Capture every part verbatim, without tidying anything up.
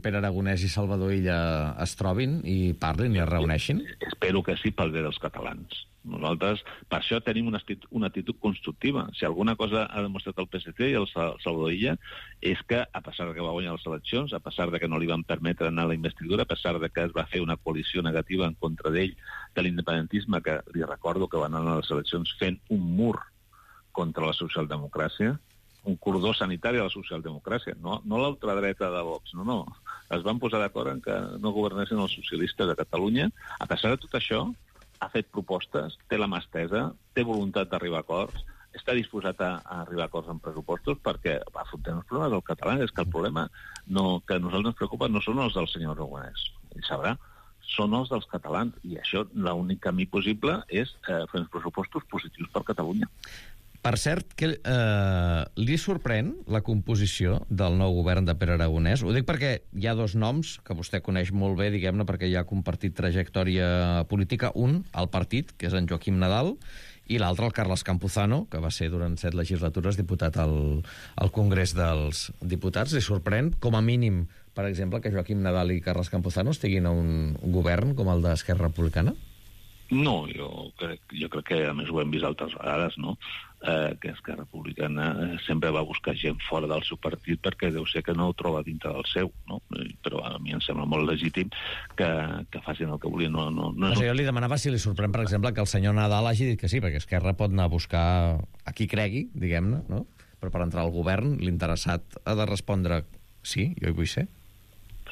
Pere Aragonès i Salvador Illa es trobin i parlin i es reuneixin? Espero que sí, pel bé dels catalans. Nosaltres, per això tenim una actitud, una actitud constructiva. Si alguna cosa ha demostrat el P S C i el Salvador Illa és que, a pesar de que va guanyar les eleccions, a pesar de que no li van permetre anar a la investidura, a pesar de que es va fer una coalició negativa en contra d'ell, de l'independentisme, que li recordo que van anar a les eleccions fent un mur contra la socialdemocràcia, un cordó sanitari a la socialdemocràcia, no, no l'ultradreta de Vox, no, no. Es van posar d'acord en que no governessin els socialistes de Catalunya. A pesar de tot això, ha fet propostes, té la mà estesa, té voluntat d'arribar a acords, està disposat a, a arribar a acords en pressupostos perquè afrontem els problemes del català. És que el problema no, que a nosaltres ens preocupa no són els del senyor Aragonès, ell sabrà, són els dels catalans, i això l'únic camí possible és eh, fer uns pressupostos positius per Catalunya. Per cert, que, eh, li sorprèn la composició del nou govern de Pere Aragonès? Ho dic perquè hi ha dos noms que vostè coneix molt bé, diguem-ne, perquè ja ha compartit trajectòria política. Un, el partit, que és en Joaquim Nadal, i l'altre, el Carles Campuzano, que va ser durant set legislatures diputat al, al Congrés dels Diputats. Li sorprèn, com a mínim, per exemple, que Joaquim Nadal i Carles Campuzano estiguin a un govern com el d'Esquerra Republicana? No, jo crec, jo crec que, a més, ho hem vist altres vegades, no?, eh, que Esquerra Republicana sempre va buscar gent fora del seu partit perquè deu ser que no ho troba dintre del seu, no? Però a mi em sembla molt legítim que, que facin el que volien. No, no, no, no. Jo li demanava si li sorprèn, per exemple, que el senyor Nadal hagi dit que sí, perquè Esquerra pot anar a buscar a qui cregui, diguem-ne, no? Però per entrar al govern, l'interessat ha de respondre sí, jo hi vull ser.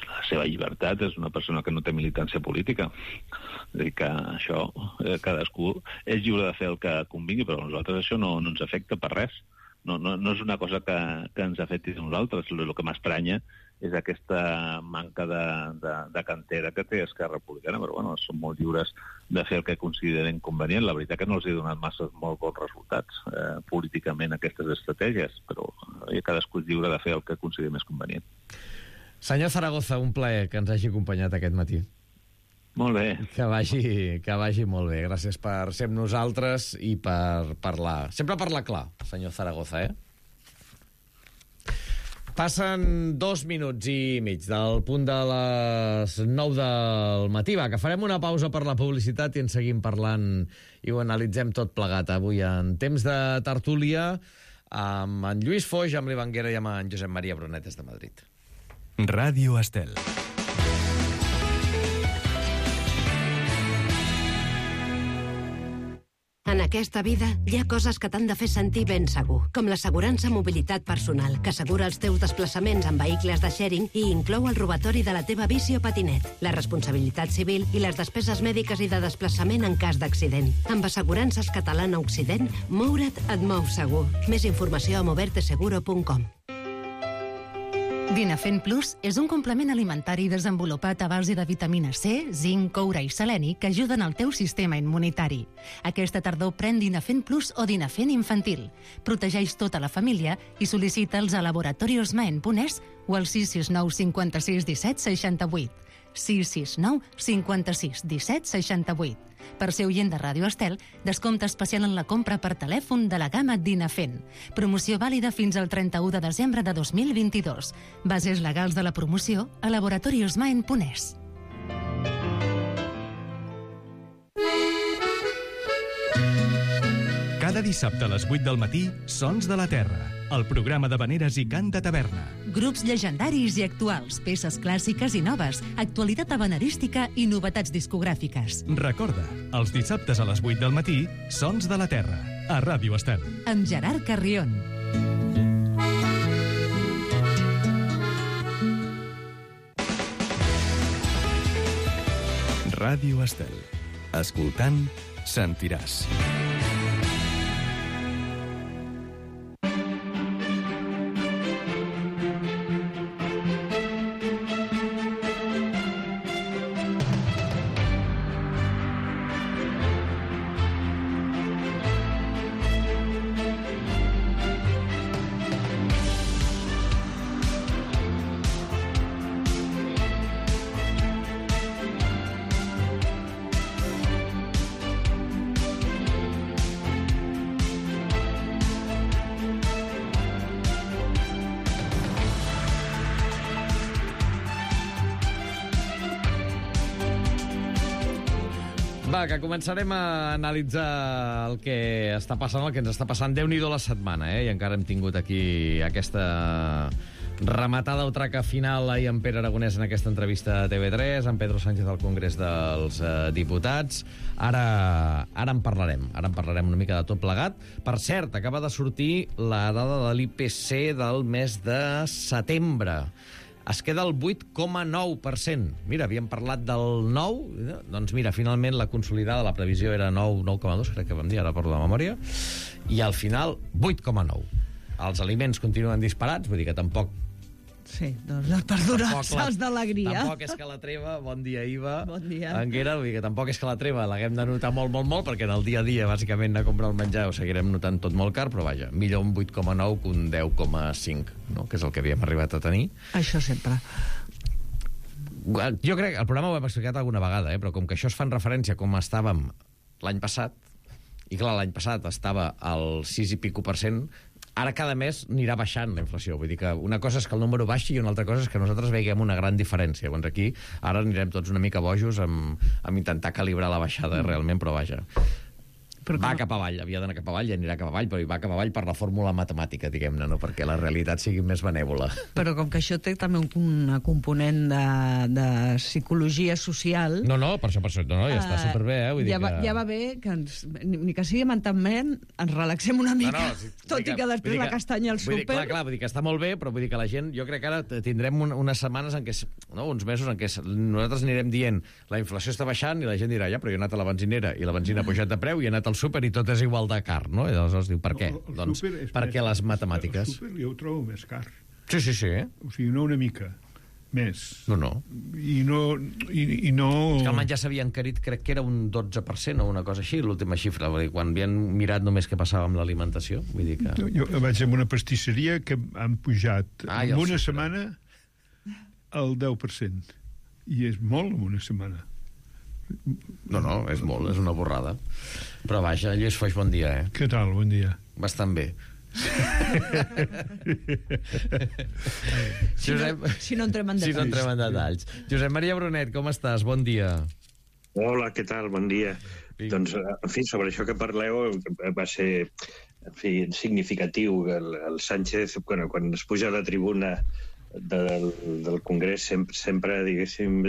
La seva llibertat, és una persona que no té militància política. És a dir, que això, eh, cadascú és lliure de fer el que convingui, però a nosaltres això no, no ens afecta per res. No, no, no és una cosa que, que ens afecti a nosaltres. El, el que m'estranya és aquesta manca de, de, de cantera que té Esquerra Republicana, però bueno, són molt lliures de fer el que consideren convenient. La veritat que no els he donat massa molt bons resultats eh, políticament aquestes estratègies, però eh, cadascú és lliure de fer el que consideri més convenient. Senyor Zaragoza, un plaer que ens hagi acompanyat aquest matí. Molt bé. Que vagi, que vagi molt bé. Gràcies per ser amb nosaltres i per parlar. Sempre parlar clar, senyor Zaragoza, eh? Passen dos minuts i mig del punt de les nou del matí. Va, que farem una pausa per la publicitat i en seguim parlant i ho analitzem tot plegat avui en temps de tertúlia amb en Lluís Foix, amb l'Ivanguera i amb en Josep Maria Brunet des de Madrid. Ràdio Estel. En aquesta vida hi ha coses que t'han de fer sentir ben segur, com l'assegurança mobilitat personal, que assegura els teus desplaçaments en vehicles de sharing i inclou el robatori de la teva bici o patinet, la responsabilitat civil i les despeses mèdiques i de desplaçament en cas d'accident. Amb Assegurances Catalana Occident, moure't et mou segur. Més informació a moverte seguro punt com. Dinafen Plus és un complement alimentari desenvolupat a base de vitamina C, zinc, coure i seleni que ajuden al teu sistema immunitari. Aquesta tardor pren Dinafen Plus o Dinafen infantil. Protegeix tota la família i sol·licita'ls a laboratoriosmaen.es o al sis sis nou cinquanta-sis disset seixanta-vuit. sis sis nou cinquanta-sis disset seixanta-vuit. Per ser oient de Ràdio Estel, descompte especial en la compra per telèfon de la gamma Dinafen. Promoció vàlida fins al trenta-u de desembre de dos mil vint-i-dos. Bases legals de la promoció a laboratoriosmaen.es. Cada dissabte a les vuit del matí, Sons de la Terra, el programa d'havaneres i cant de taverna. Grups llegendaris i actuals, peces clàssiques i noves, actualitat havanerística i novetats discogràfiques. Recorda, els dissabtes a les vuit del matí, Sons de la Terra, a Ràdio Estel. Amb Gerard Carrion. Ràdio Estel. Escoltant, sentiràs. Va, que començarem a analitzar el que està passant, el que ens està passant. Déu-n'hi-do la setmana, eh? I encara hem tingut aquí aquesta rematada o traca final ahir amb Pere Aragonès en aquesta entrevista a T V tres, amb Pedro Sánchez al Congrés dels eh, Diputats. Ara, ara en parlarem, ara en parlarem una mica de tot plegat. Per cert, acaba de sortir la dada de l'I P C del mes de setembre. Es queda el vuit coma nou per cent. Mira, havíem parlat del nou, doncs mira, finalment la consolidada, la previsió era nou, nou coma dos, crec que vam dir, ara parlo de memòria, i al final vuit coma nou. Els aliments continuen disparats, vull dir que tampoc... Sí, doncs perdonats d'alegria. Tampoc és que la treva, bon dia, Iva. Bon dia. Anguera, vull dir que tampoc és que la treva l'haguem de notar molt, molt, molt, perquè en el dia a dia, bàsicament, anar a comprar el menjar ho seguirem notant tot molt car, però vaja, millor un vuit coma nou que un deu coma cinc, no? Que és el que havíem arribat a tenir. Això sempre. Jo crec, el programa ho hem explicat alguna vegada, eh? Però com que això es fa en referència com estàvem l'any passat, i clar, l'any passat estava al sis i pico per cent, ara cada mes anirà baixant la inflació. Vull dir que una cosa és que el número baixi i una altra cosa és que nosaltres veiem una gran diferència. Llavors aquí ara anirem tots una mica bojos amb, amb intentar calibrar la baixada realment, però vaja. Però va cap avall, havia d'anar cap avall i anirà cap avall, però hi va cap avall per la fórmula matemàtica, diguem-ne, no perquè la realitat sigui més benèvola. Però com que això té també un, un component de, de psicologia social... No, no, per això, per això, no, no, ja està superbé, eh? Vull ja, dir va, que... ja va bé que ens, ni, ni que sigui mentalment, ens relaxem una mica, no, no, si, tot que, i que després la castanya al súper... Dir, clar, clar, vull dir que està molt bé, però vull dir que la gent, jo crec que ara tindrem un, unes setmanes en què, no, uns mesos en què nosaltres anirem dient la inflació està baixant i la gent dirà, ja, però jo he anat a la benzinera i la benzina ha pujat de preu i he anat al súper i tot és igual de car, no? I aleshores diu, per què? El, el doncs perquè més, les matemàtiques... El súper jo ho trobo més car. Sí, sí, sí. O sigui, no una mica, més. No, no. I no... I, i no... És que el menjar s'havia encarit, crec que era un dotze per cent o una cosa així, l'última xifra, vull dir, quan havien mirat només què passava amb l'alimentació. Vull dir que... Jo vaig a una pastisseria que han pujat ah, en una setmana el deu per cent. I és molt en una setmana. No, no, és molt, és una borrada. Però vaja, Lluís Foix, bon dia, eh? Què tal, bon dia? Bastant bé. si, Josep... no, si no entrem en detalls. Si no entrem en detalls. Josep Maria Brunet, com estàs? Bon dia. Hola, què tal? Bon dia. Sí. Doncs, en fi, sobre això que parleu, va ser, en fi, significatiu. El, el Sánchez, quan, quan es puja a la tribuna del, del Congrés, sempre, sempre diguéssim,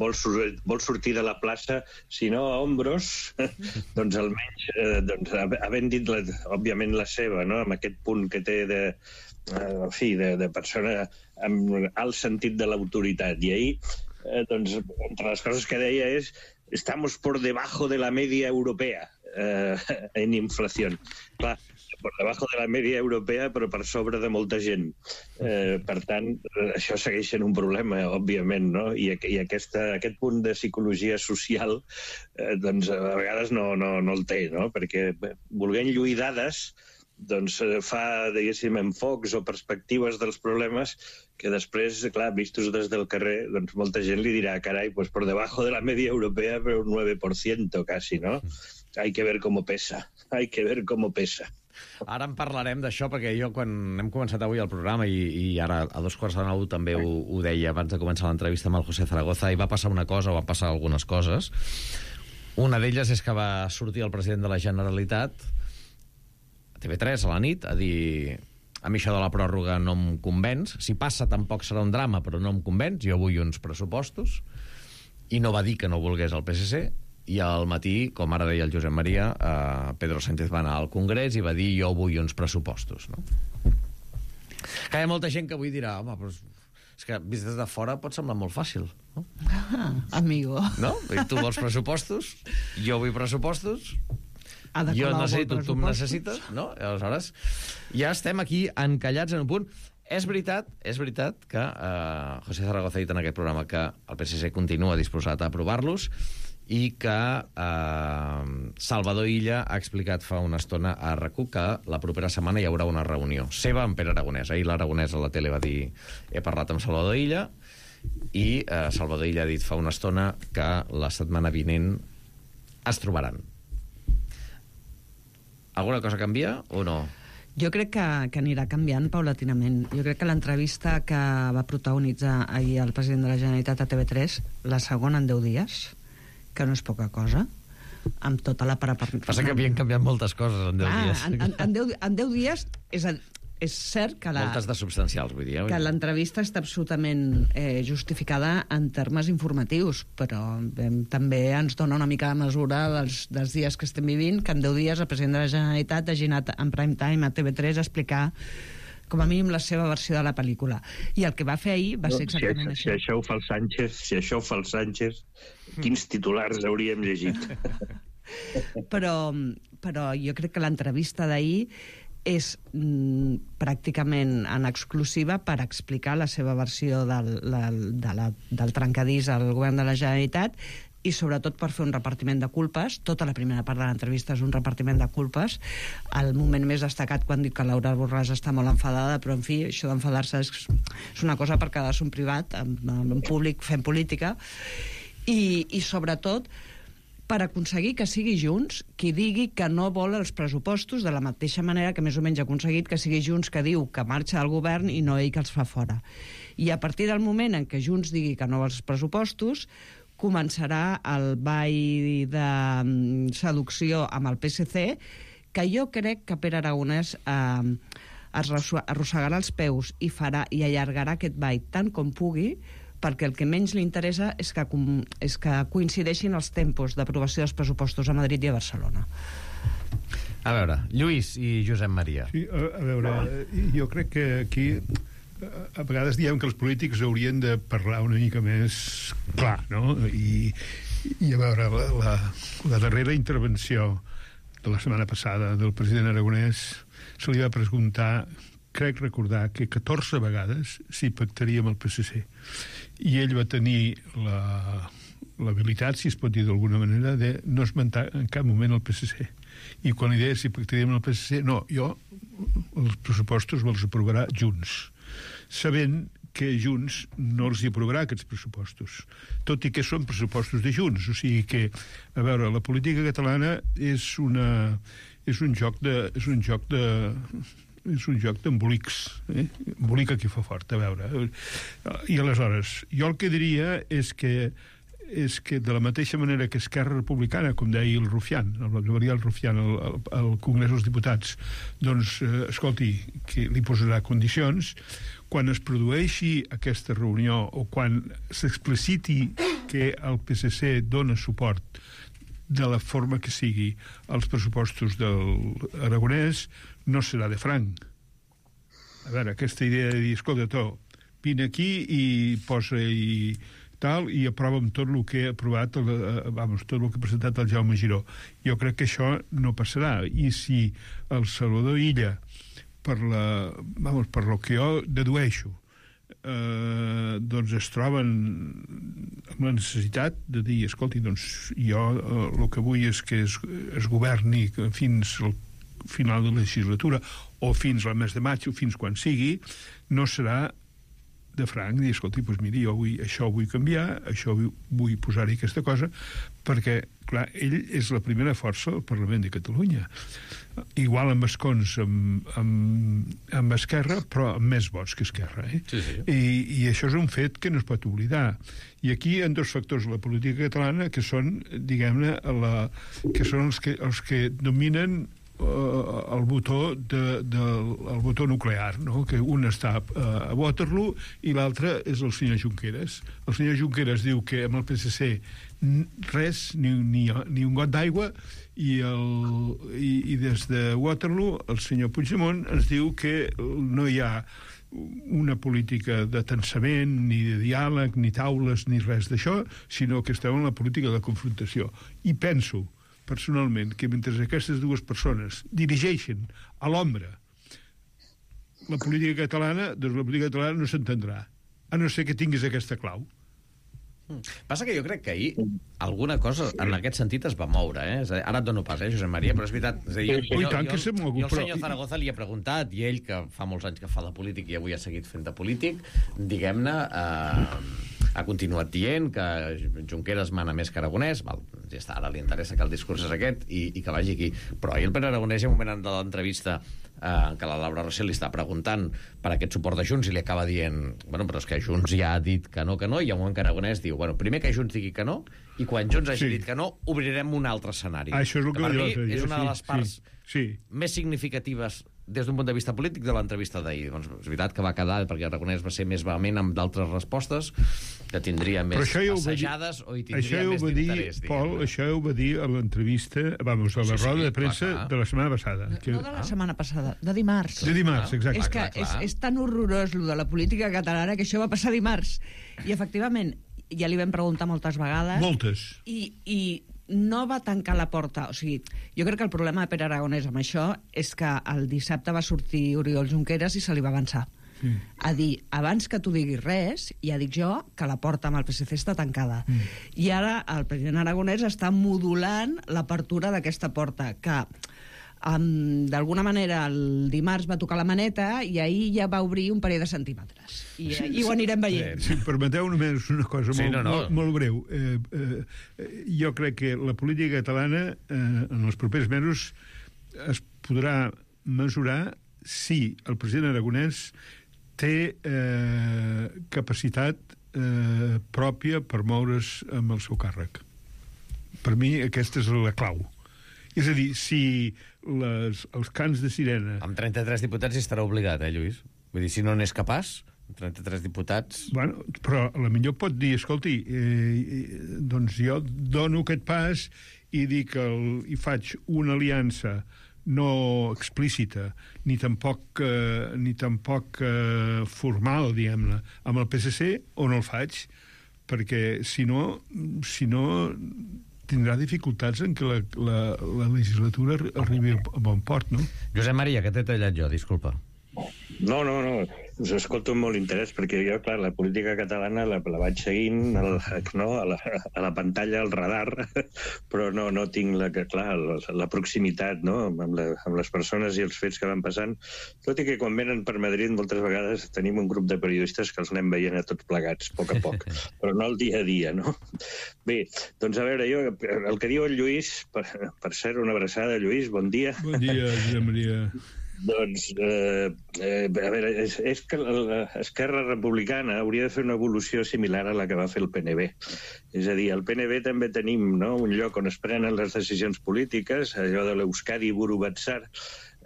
vol, sur vol sortir de la plaça, si no a ombros, doncs almenys, eh, doncs, havent dit, la, òbviament, la seva, no?, amb aquest punt que té de, eh, en fi, de, de persona amb alt sentit de l'autoritat. I ahir, eh, doncs, entre les coses que deia és «estamos por debajo de la media europea eh, en inflación». Clar, per debajo de la media europea, però per sobre de molta gent. Eh, per tant, això segueix sent un problema, òbviament, no? I, i aquesta, aquest punt de psicologia social, eh, doncs, a vegades no, no, no el té, no? Perquè volent lluir dades, doncs fa, diguéssim, enfocs o perspectives dels problemes que després, clar, vistos des del carrer, doncs molta gent li dirà, carai, pues por debajo de la media europea, però un nueve por ciento casi, no? Hay que ver cómo pesa, hay que ver cómo pesa. Ara en parlarem d'això, perquè jo quan hem començat avui el programa, i, i ara a dos quarts de nou també ho, ho deia abans de començar l'entrevista amb el José Zaragoza, i va passar una cosa, o van passar algunes coses. Una d'elles és que va sortir el president de la Generalitat a T V tres a la nit a dir: a mi això de la pròrroga no em convenç, si passa tampoc serà un drama, però no em convenç, jo vull uns pressupostos. I no va dir que no volgués el P S C, i al matí, com ara deia el Josep Maria, eh, Pedro Sánchez va anar al Congrés i va dir jo vull uns pressupostos, no? Que hi ha molta gent que avui dirà, home, però és que vist des de fora pot semblar molt fàcil, no? Ah, amigo. No? I tu vols pressupostos, jo vull pressupostos, jo necessito, tu em necessites, no? I aleshores ja estem aquí encallats en un punt. És veritat, és veritat que eh, José Zaragoza ha dit en aquest programa que el P S C continua disposat a aprovar-los, i que eh, Salvador Illa ha explicat fa una estona a R A C U que la propera setmana hi haurà una reunió seva amb Pere Aragonès. Ahir l'Aragonès a la tele va dir he parlat amb Salvador Illa, i eh, Salvador Illa ha dit fa una estona que la setmana vinent es trobaran. Alguna cosa canvia o no? Jo crec que, que anirà canviant paulatinament. Jo crec que l'entrevista que va protagonitzar ahir el president de la Generalitat a T V tres, la segona en deu dies, que no és poca cosa, amb tota la preparació. Passa que havien canviat moltes coses en deu Clar, dies. En, en, en, deu, en deu dies és, a, és cert que la... Moltes de substancials, vull dir. Eh? Que l'entrevista està absolutament eh, justificada en termes informatius, però eh, també ens dona una mica de mesura dels, dels dies que estem vivint, que en deu dies el president de la Generalitat hagi anat en prime time a T V tres a explicar com a mínim la seva versió de la pel·lícula. I el que va fer ahir va ser exactament no, si, això. Si això ho fa el Sánchez, si això ho fa el Sánchez, quins titulars hauríem llegit? però, però jo crec que l'entrevista d'ahir és mm, pràcticament en exclusiva per explicar la seva versió del, la, de la, del trencadís al govern de la Generalitat i sobretot per fer un repartiment de culpes. Tota la primera part de l'entrevista és un repartiment de culpes. El moment més destacat quan dic que Laura Borràs està molt enfadada, però en fi, això d'enfadar-se és, és una cosa per quedar-se un privat, en, en públic fent política, i, i sobretot per aconseguir que sigui Junts qui digui que no vol els pressupostos, de la mateixa manera que més o menys ha aconseguit que sigui Junts que diu que marxa del govern i no ell que els fa fora. I a partir del moment en què Junts digui que no vol els pressupostos, començarà el ball de seducció amb el P S C, que jo crec que Pere Aragonès eh, es arrossegarà els peus i, farà, i allargarà aquest ball tant com pugui, perquè el que menys li interessa és que, és que coincideixin els tempos d'aprovació dels pressupostos a Madrid i a Barcelona. A veure, Lluís i Josep Maria. Sí, a, a veure, jo crec que aquí a vegades diem que els polítics haurien de parlar una mica més clar, no? I, i a veure, la, la, la darrera intervenció de la setmana passada del president Aragonès se li va preguntar, crec recordar, que catorze vegades s'hi pactaria amb el P S C. I ell va tenir la, l'habilitat, si es pot dir d'alguna manera, de no esmentar en cap moment el P S C. I quan li deia si pactaria amb el P S C, no, jo els pressupostos me'ls aprovarà Junts, sabent que Junts no els hi aprovarà aquests pressupostos, tot i que són pressupostos de Junts. O sigui que, a veure, la política catalana és una és un joc de és un joc de és un joc d'embolics, eh? Embolica qui fa fort, a veure. I aleshores, jo el que diria és que és que de la mateixa manera que Esquerra Republicana, com deia el Rufián, el Gabriel Rufián al, al, al Congrés dels Diputats, doncs, eh, escolti, que li posarà condicions, quan es produeixi aquesta reunió o quan s'expliciti que el P S C dona suport de la forma que sigui als pressupostos del Aragonès, no serà de franc. A veure, aquesta idea de dir, escolta, tu, vine aquí i posa i tal, i aprova amb tot el que ha aprovat, el, vamos, tot el que ha presentat el Jaume Giró. Jo crec que això no passarà. I si el Salvador Illa, per la, vamos, per lo que jo dedueixo, eh, doncs es troben amb la necessitat de dir, escolti, doncs jo eh, el que vull és que es, es governi fins al final de la legislatura o fins al mes de maig o fins quan sigui, no serà de franc, dir, escolti, doncs miri, jo vull, això ho vull canviar, això vull, vull posar-hi aquesta cosa, perquè, clar, ell és la primera força del Parlament de Catalunya. Igual amb escons amb, amb, amb Esquerra, però amb més vots que Esquerra. Eh? Sí, sí. I, I això és un fet que no es pot oblidar. I aquí hi ha dos factors de la política catalana que són, diguem-ne, la, que són els que, els que dominen el botó de, de, el botó nuclear, no? Que un està a Waterloo i l'altre és el senyor Junqueras. El senyor Junqueras diu que amb el P S C res, ni, ni, ni un got d'aigua, i, el, i, i des de Waterloo el senyor Puigdemont ens diu que no hi ha una política de tensament, ni de diàleg, ni taules, ni res d'això, sinó que estem en la política de confrontació. I penso personalment, que mentre aquestes dues persones dirigeixen a l'ombra la política catalana, doncs la política catalana no s'entendrà, a no ser que tinguis aquesta clau. Passa que jo crec que ahir alguna cosa en aquest sentit es va moure, eh? És a dir, ara et dono pas, eh, Josep Maria, però és veritat. És a dir, jo, jo, jo, jo, jo, jo al senyor Zaragoza li he preguntat, i ell, que fa molts anys que fa de polític i avui ha seguit fent de polític, diguem-ne, eh, ha continuat dient que Junqueras mana més que Aragonès, val, ja està, ara li interessa que el discurs és aquest i, i que vagi aquí. Però ahir el Pere Aragonès, en un moment de l'entrevista eh, en què la Laura Rossell li està preguntant per aquest suport de Junts i li acaba dient, bueno, però és que Junts ja ha dit que no, que no, i hi ha un moment que Aragonès diu, bueno, primer que Junts digui que no, i quan Junts hagi Sí. dit que no, obrirem un altre escenari. Ah, això és el que per va dir mi l'altre dia, és una de sí, les parts sí, sí. més significatives des d'un punt de vista polític de l'entrevista d'ahir. Doncs és veritat que va quedar, perquè Aragonès va ser més vehement amb d'altres respostes, que tindria més Però això ja ho va dir- assajades o hi Això tindria ja ho més va dir, d'interès. Pol, diguem-ne. això ja ho va dir a l'entrevista, vamos, a la Sí, sí, roda de clar, premsa clar. de la setmana passada. Que... No de la setmana passada, de dimarts. De dimarts, exacte. És que clar, clar. és, és tan horrorós lo de la política catalana que això va passar dimarts. I efectivament, ja li vam preguntar moltes vegades. Moltes. I, i no va tancar la porta. O sigui, jo crec que el problema de Pere Aragonès amb això és que el dissabte va sortir Oriol Junqueras i se li va avançar. Mm. A dir, abans que tu diguis res, ja dic jo que la porta amb el P S C està tancada. Mm. I ara el president Aragonès està modulant l'apertura d'aquesta porta, que um, d'alguna manera el dimarts va tocar la maneta i ahir ja va obrir un parell de centímetres. I, sí, i ho anirem veient. Si em permeteu només una cosa Sí, molt, no, no. molt, molt breu. Eh, eh, jo crec que la política catalana eh, en els propers mesos es podrà mesurar si el president Aragonès té eh, capacitat eh, pròpia per moure's amb el seu càrrec. Per mi aquesta és la clau. És a dir, si les, els cants de sirena... Amb trenta-tres diputats hi estarà obligat, eh, Lluís? Vull dir, si no n'és capaç, amb trenta-tres diputats... Bueno, però a la millor pot dir, escolti, eh, doncs jo dono aquest pas i dic el, i faig una aliança no explícita, ni tampoc, eh, ni tampoc eh, formal, diguem-ne, amb el P S C, o no el faig, perquè si no, si no tindrà dificultats en que la, la, la legislatura arribi a bon port, no? Josep Maria, que t'he tallat jo, disculpa. No, no, no, us escolto amb molt interès, perquè jo, clar, la política catalana la, la vaig seguint el, no, a, la, a la pantalla, al radar, però no, no tinc la, clar, la, la proximitat, no?, amb, la, amb les persones i els fets que van passant, tot i que quan venen per Madrid moltes vegades tenim un grup de periodistes que els anem veient a tots plegats, a poc a poc, però no el dia a dia, no? Bé, doncs a veure, jo, el que diu el Lluís, per, per ser una abraçada, Lluís, bon dia. Bon dia, Josep Maria. Doncs, eh, eh, a veure, és, és que l'Esquerra Republicana hauria de fer una evolució similar a la que va fer el P N B. És a dir, al P N B també tenim, no?, un lloc on es prenen les decisions polítiques, allò de l'Euskadi Burubatzar,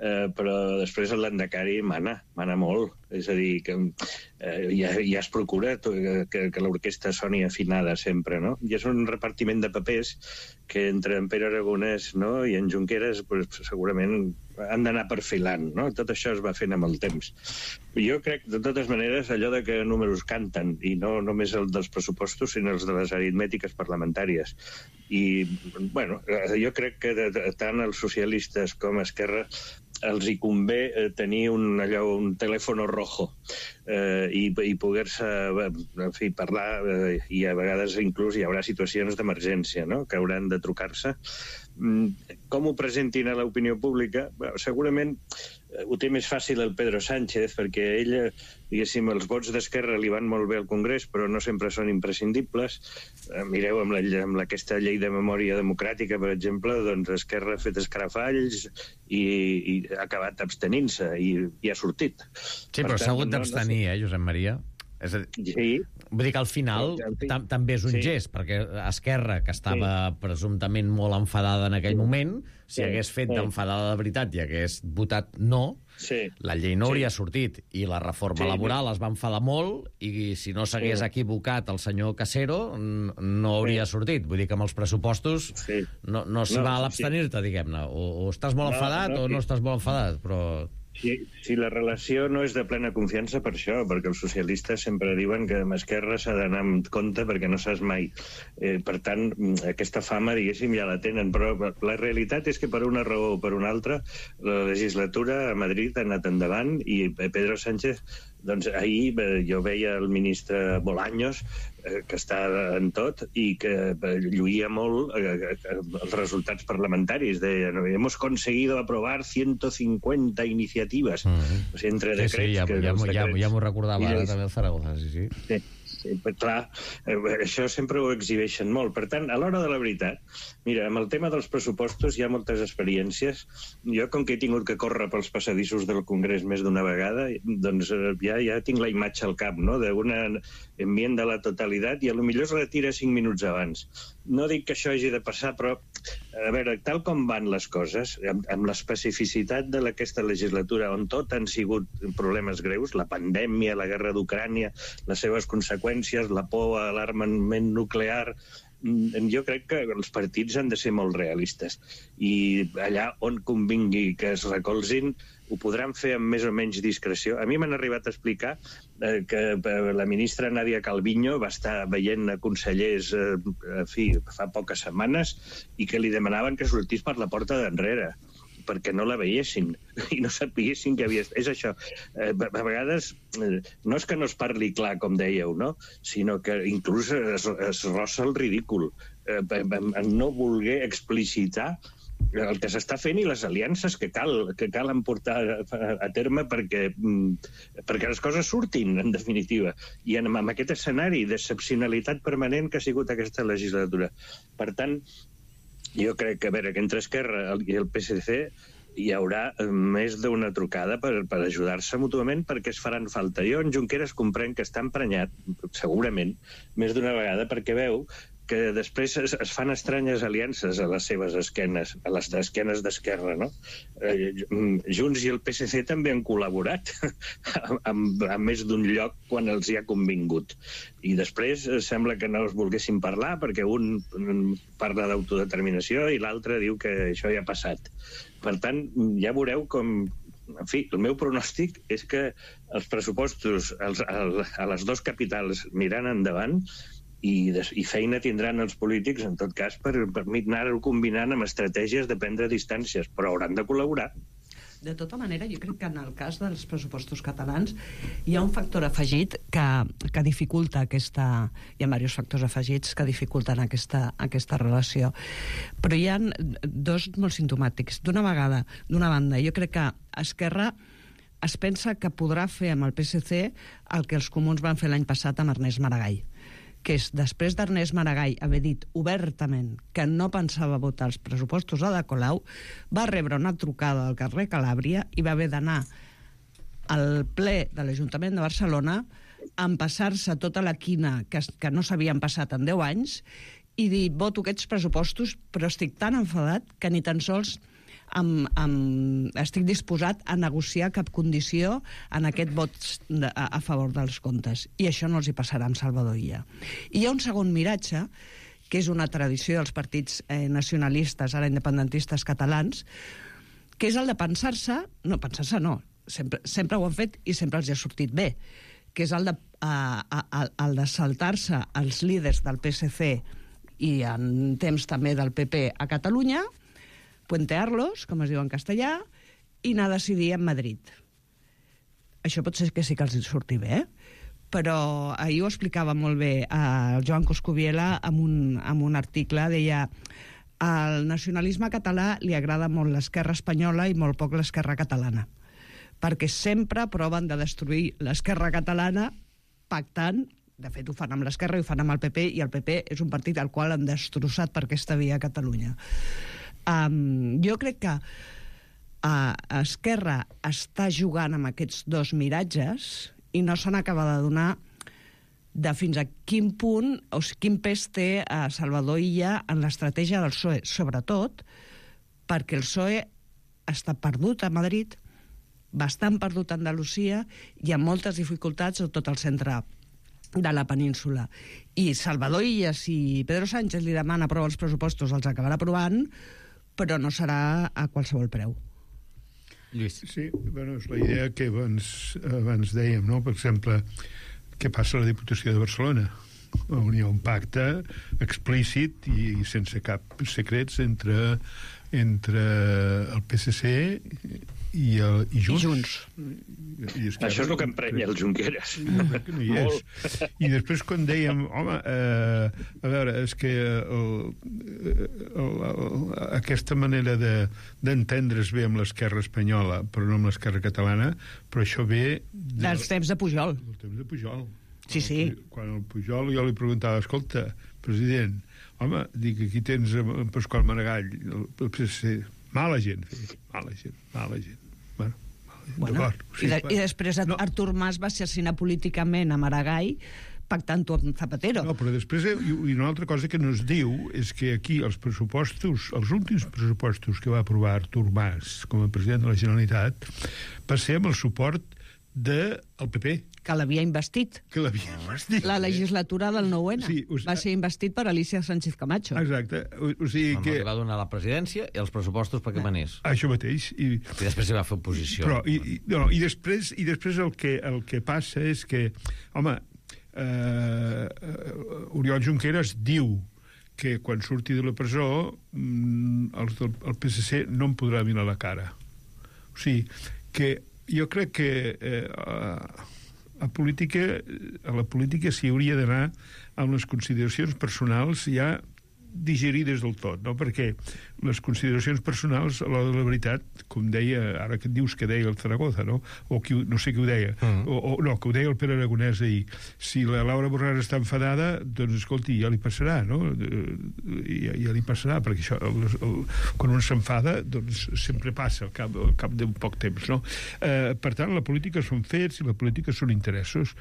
eh, però després el Landacari mana, mana molt. És a dir, que eh, ja, ja es procura que, que l'orquestra soni afinada sempre, no? I és un repartiment de papers que entre en Pere Aragonès, no?, i en Junqueras pues, segurament han d'anar perfilant, no? Tot això es va fent amb el temps. Jo crec, de totes maneres, allò de que números canten, i no només el dels pressupostos, sinó els de les aritmètiques parlamentàries. I, bueno, jo crec que de, de, tant els socialistes com Esquerra els hi convé eh, tenir un, allò, un telèfon rojo eh, i, i poder-se en fi, parlar eh, i a vegades inclús hi haurà situacions d'emergència, no?, que hauran de trucar-se. Mm, com ho presentin a l'opinió pública? Bé, segurament eh, ho té més fàcil el Pedro Sánchez, perquè ell, diguéssim, els vots d'Esquerra li van molt bé al Congrés, però no sempre són imprescindibles. Eh, mireu, amb, la, amb aquesta llei de memòria democràtica, per exemple, doncs Esquerra ha fet escarafalls i, i ha acabat abstenint-se i, i ha sortit. Sí, però s'ha hagut d'abstenir, eh, Josep Maria? És a dir, sí. Vull dir que al final tam també és un Sí. gest, perquè Esquerra, que estava sí. presumptament molt enfadada en aquell moment, si Sí. hagués fet Sí. d'enfadada de veritat i hagués votat no, Sí. la llei no Sí. hauria sortit. I la reforma Sí. laboral es va enfadar molt i si no s'hagués Sí. equivocat el senyor Casero no hauria Sí. sortit. Vull dir que amb els pressupostos Sí. no, no s'hi No, val sí. abstenir-te, diguem-ne. O, o estàs molt No, enfadat no, o no sí. estàs molt enfadat, però... Si, si la relació no és de plena confiança per això, perquè els socialistes sempre diuen que amb Esquerra s'ha d'anar amb compte perquè no saps mai. Eh, per tant, aquesta fama, diguéssim, ja la tenen, però la realitat és que per una raó o per una altra la legislatura a Madrid ha anat endavant i Pedro Sánchez, doncs ahir jo veia el ministre Bolaños, eh, que està en tot i que lluïa molt eh, els resultats parlamentaris. Deia, hemos conseguido aprobar ciento cincuenta iniciativas. Mm -hmm. O sigui, entre sí, decrets... sí, ja, que ja, ja, decrets... ja m'ho recordava ara I, també el Zaragoza, sí, sí. Sí. clar, això sempre ho exhibeixen molt. Per tant, a l'hora de la veritat, mira, amb el tema dels pressupostos hi ha moltes experiències. Jo, com que he tingut que córrer pels passadissos del Congrés més d'una vegada, doncs ja, ja tinc la imatge al cap, no?, d'una enmienda a la totalitat i a lo millor es retira cinc minuts abans. No dic que això hagi de passar, però, a veure, tal com van les coses, amb, amb l'especificitat d'aquesta legislatura, on tot han sigut problemes greus, la pandèmia, la guerra d'Ucrània, les seves conseqüències, la por a l'armament nuclear, jo crec que els partits han de ser molt realistes. I allà on convingui que es recolzin, ho podran fer amb més o menys discreció. A mi m'han arribat a explicar eh, que la ministra Nadia Calviño va estar veient consellers eh, en fi, fa poques setmanes i que li demanaven que sortís per la porta d'enrere perquè no la veiessin i no sapiguessin que havia... És això, eh, a vegades eh, no és que no es parli clar, com dèieu, no?, sinó que inclús es, es rossa el ridícul eh, en no voler explicitar el que s'està fent i les aliances que cal, que cal portar a terme perquè, perquè les coses surtin, en definitiva. I en, en aquest escenari d'excepcionalitat permanent que ha sigut aquesta legislatura. Per tant, jo crec que, a veure, que entre Esquerra i el P S C hi haurà més d'una trucada per, per ajudar-se mútuament perquè es faran falta. Jo, en Junqueras, comprenc que està emprenyat, segurament, més d'una vegada, perquè veu que després es, es fan estranyes aliances a les seves esquenes, a les esquenes d'Esquerra, no? Eh, Junts i el P S C també han col·laborat amb, amb més d'un lloc quan els hi ha convingut. I després eh, sembla que no es volguessin parlar perquè un parla d'autodeterminació i l'altre diu que això ja ha passat. Per tant, ja veureu com... En fi, el meu pronòstic és que els pressupostos els, el, a les dues capitals aniran endavant i, des, i feina tindran els polítics, en tot cas, per, per anar combinant amb estratègies de prendre distàncies, però hauran de col·laborar. De tota manera, jo crec que en el cas dels pressupostos catalans hi ha un factor afegit que, que dificulta aquesta... Hi ha diversos factors afegits que dificulten aquesta, aquesta relació. Però hi ha dos molt simptomàtics. D'una vegada, d'una banda, jo crec que Esquerra es pensa que podrà fer amb el P S C el que els comuns van fer l'any passat amb Ernest Maragall, que és, després d'Ernest Maragall haver dit obertament que no pensava votar els pressupostos a Ada Colau, va rebre una trucada del carrer Calàbria i va haver d'anar al ple de l'Ajuntament de Barcelona a empassar-se tota la quina que, que no s'havien passat en deu anys i dir, voto aquests pressupostos, però estic tan enfadat que ni tan sols Amb, amb, estic disposat a negociar cap condició en aquest vot de, a, a favor dels comptes. I això no els hi passarà amb Salvador Illa. I hi ha un segon miratge, que és una tradició dels partits eh, nacionalistes, ara independentistes catalans, que és el de pensar-se, no, pensar-se no, sempre, sempre ho han fet i sempre els hi ha sortit bé, que és el de, a, a, el de saltar-se els líders del P S C i en temps també del P P a Catalunya, puentear-los, com es diu en castellà, i anar a decidir en Madrid. Això pot ser que sí que els surti bé, però ahir ho explicava molt bé el Joan Coscubiela amb un, amb un article, deia al nacionalisme català li agrada molt l'esquerra espanyola i molt poc l'esquerra catalana, perquè sempre proven de destruir l'esquerra catalana pactant. De fet, ho fan amb l'Esquerra i ho fan amb el P P, i el P P és un partit al qual han destrossat per aquesta via a Catalunya. Um, jo crec que uh, Esquerra està jugant amb aquests dos miratges i no se n'acaba de donar de fins a quin punt o quin pes té a Salvador Illa en l'estratègia del P S O E, sobretot perquè el P S O E està perdut a Madrid, bastant perdut a Andalusia i amb moltes dificultats a tot el centre de la península. I Salvador Illa, si Pedro Sánchez li demana aprovar els pressupostos, els acabarà aprovant, però no serà a qualsevol preu. Lluís. Sí, bueno, és la idea que abans, abans dèiem, no? Per exemple, què passa a la Diputació de Barcelona? On hi ha un pacte explícit i sense cap secrets entre, entre el P S C i, el, i Junts. I Junts. I això és el que emprenya el Junqueras. No, que no hi és. I després quan dèiem, home, eh, a veure, és que el, el, el, aquesta manera de, d'entendre's bé amb l'esquerra espanyola, però no amb l'esquerra catalana, però això ve... De, dels temps de Pujol. Del temps de Pujol. Sí, sí. Quan el Pujol jo li preguntava, escolta, president, home, dic, aquí tens en Pasqual Maragall, el P S C, mala gent, mala gent, mala gent. Bueno, bueno i, de, i després no. Artur Mas va assassinar políticament a Maragall pactant-ho amb Zapatero. No, però després, i una altra cosa que no es diu és que aquí els pressupostos, els últims pressupostos que va aprovar Artur Mas com a president de la Generalitat, va ser amb el suport del P P. Que l'havia investit. Que l'havia investit. La legislatura del nou ena. Sí, o sigui, va ser investit per Alicia Sánchez Camacho. Exacte. O, o sigui no, que... Li va donar la presidència i els pressupostos perquè manés. Això mateix. I, I després hi va fer oposició. Però, i, i, no, i, després, i després el que, el que passa és que, home, eh, Oriol Junqueras diu que quan surti de la presó els del el P S C no em podrà mirar la cara. O sigui, que jo crec que eh, a, política, a la política s'hi hauria d'anar amb les consideracions personals ja digerides del tot, no? Perquè les consideracions personals, a l'hora de la veritat, com deia, ara que et dius que deia el Zaragoza, no? O qui, no sé qui ho deia, mm. o, o no, que ho deia el Pere Aragonès ahir. Si la Laura Borràs està enfadada, doncs, escolti, ja li passarà, no? Ja, ja li passarà, perquè això, el, el, quan un s'enfada, doncs sempre passa al cap, al cap d'un poc temps, no? Eh, per tant, la política són fets i la política són interessos.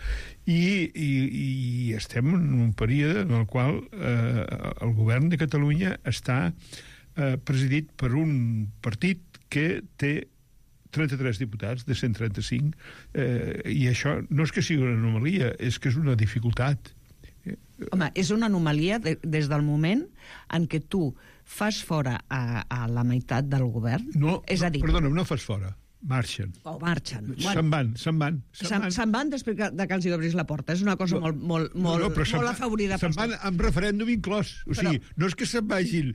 I, i, i estem en un període en el qual eh, el govern de Catalunya està eh, presidit per un partit que té trenta-tres diputats de cent trenta-cinc, eh, i això no és que sigui una anomalia, és que és una dificultat. Home, és una anomalia de, des del moment en què tu fas fora a, a la meitat del govern. No, és a dir, no perdona, no fas fora. Marxen. O marxen. Se'n van, se'n van. Se'n van, se van després de que els hi obris la porta. És una cosa no, molt, molt, molt, no, no, molt afavorida. Se'n van amb referèndum inclòs. O però, sigui, no és que se'n vagin...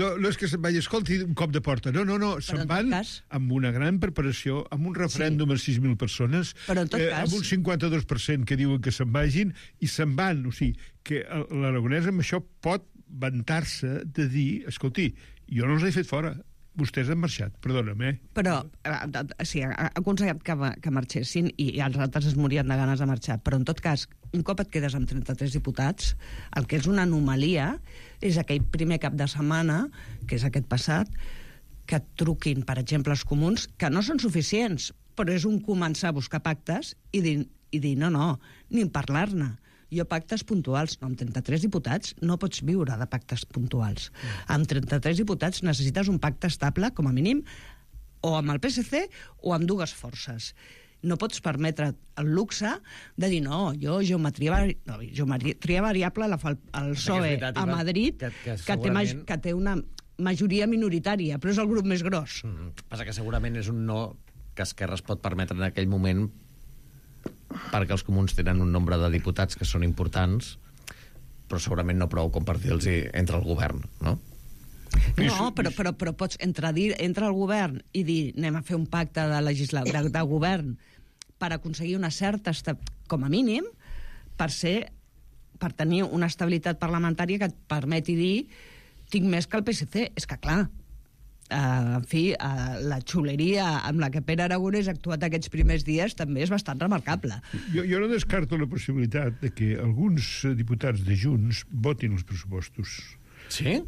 No, no és que se'n vagin, escolti, un cop de porta. No, no, no. Se'n van cas, amb una gran preparació, amb un referèndum sí. a sis mil persones, però en tot eh, cas, amb un cinquanta-dos per cent que diuen que se'n vagin, i se'n van. O sigui, que l'Aragonès amb això pot vantar-se de dir, escolti, jo no els he fet fora. Vostès han marxat, perdona'm, eh? Però, eh, sí, ha aconsellat que, que marxessin i, i els altres es morien de ganes de marxar. Però, en tot cas, un cop et quedes amb trenta-tres diputats, el que és una anomalia és aquell primer cap de setmana, que és aquest passat, que et truquin, per exemple, els comuns, que no són suficients, però és un començar a buscar pactes i dir, i dir no, no, ni parlar-ne. Jo pactes puntuals, no, amb trenta-tres diputats no pots viure de pactes puntuals. Amb trenta-tres diputats necessites un pacte estable, com a mínim, o amb el P S C o amb dues forces. No pots permetre el luxe de dir, no, jo geometria, vari... no, geometria variable la fa el, el P S O E a Madrid, que, que, que, segurament... té, que té una majoria minoritària, però és el grup més gros. Mm, passa que segurament és un no que Esquerra es pot permetre en aquell moment perquè els comuns tenen un nombre de diputats que són importants, però segurament no prou com per dir-los entre el govern, no? No, però, però, però pots entre, dir, entre el govern i dir anem a fer un pacte de, legisla, de, de govern per aconseguir una certa, com a mínim, per ser per tenir una estabilitat parlamentària que et permeti dir tinc més que el P S C. És que, clar, Uh, en fi, uh, la xuleria amb la que Pere Aragonès ha actuat aquests primers dies també és bastant remarcable. Jo, jo no descarto la possibilitat de que alguns diputats de Junts votin els pressupostos. Sí?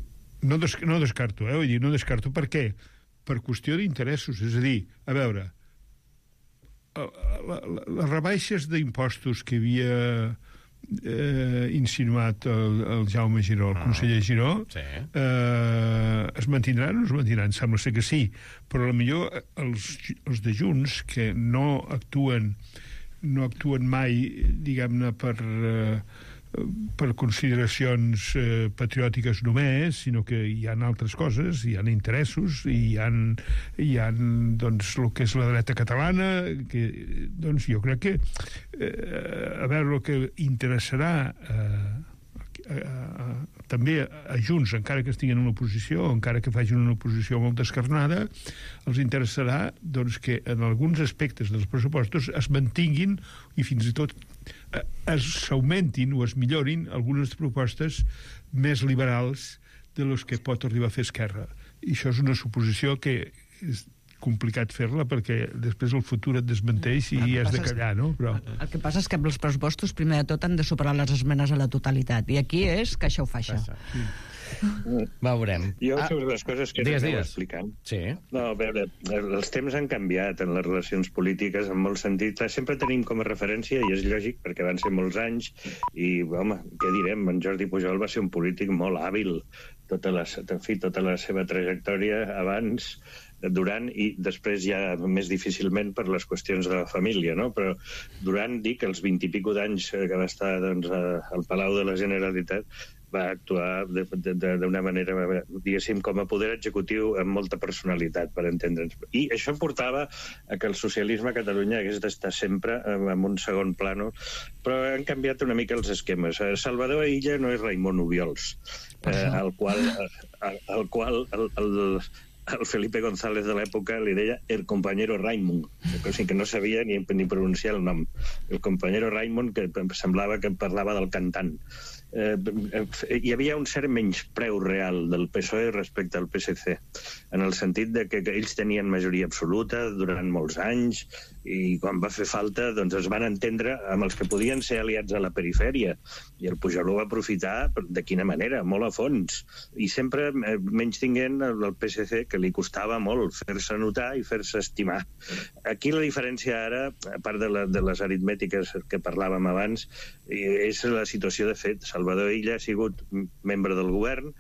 No, des, no descarto, eh? Vull dir, no descarto. Per què? Per qüestió d'interessos. És a dir, a veure, les rebaixes d'impostos que havia eh, insinuat el, el Jaume Giró, el conseller Giró, sí. eh, es mantindran o no es mantindran? Sembla ser que sí, però potser els, els de Junts, que no actuen no actuen mai, diguem-ne, per, eh, per consideracions eh, patriòtiques només, sinó que hi ha altres coses, hi ha interessos, hi ha, hi ha doncs, el que és la dreta catalana, que doncs, jo crec que eh, a veure, el que interessarà eh, a, a, també a Junts, encara que estiguin en l'oposició, encara que facin una oposició molt descarnada, els interessarà doncs, que en alguns aspectes dels pressupostos es mantinguin i fins i tot s'augmentin o es millorin algunes propostes més liberals de les que pot arribar a fer Esquerra. I això és una suposició que és complicat fer-la perquè després el futur et desmenteix i has de callar, no? Però... El que passa és que amb els pressupostos, primer de tot, han de superar les esmenes a la totalitat. I aquí és que això ho fa això. Sí. Veurem. Jo, ah, sobre les coses que esteu explicant. Sí. No, a veure, els temps han canviat en les relacions polítiques en molt sentit. Sempre tenim com a referència, i és lògic, perquè van ser molts anys, i, home, què direm? En Jordi Pujol va ser un polític molt hàbil. Tota la, en fi, tota la seva trajectòria abans, durant i després ja més difícilment per les qüestions de la família, no? Però durant, dic, els vint i pico d'anys que va estar doncs, al Palau de la Generalitat, va actuar d'una manera, diguéssim, com a poder executiu amb molta personalitat, per entendre'ns. I això portava a que el socialisme a Catalunya hagués d'estar sempre en un segon plano, però han canviat una mica els esquemes. Salvador Illa no és Raimon Obiols, eh, al qual, al, al qual el, el, el Felipe González de l'època li deia el compañero Raimon, o sigui que no sabia ni, ni pronunciar el nom. El compañero Raimon, que semblava que parlava del cantant. Eh, hi havia un cert menyspreu real del P S O E respecte al P S C, en el sentit de que, que ells tenien majoria absoluta durant molts anys i quan va fer falta doncs es van entendre amb els que podien ser aliats a la perifèria, i el Pujol ho va aprofitar de quina manera, molt a fons, i sempre menys tinguent el P S C, que li costava molt fer-se notar i fer-se estimar. Aquí la diferència ara, a part de, la, de les aritmètiques que parlàvem abans, és la situació de fet. Salvador Illa ha sigut membre del govern,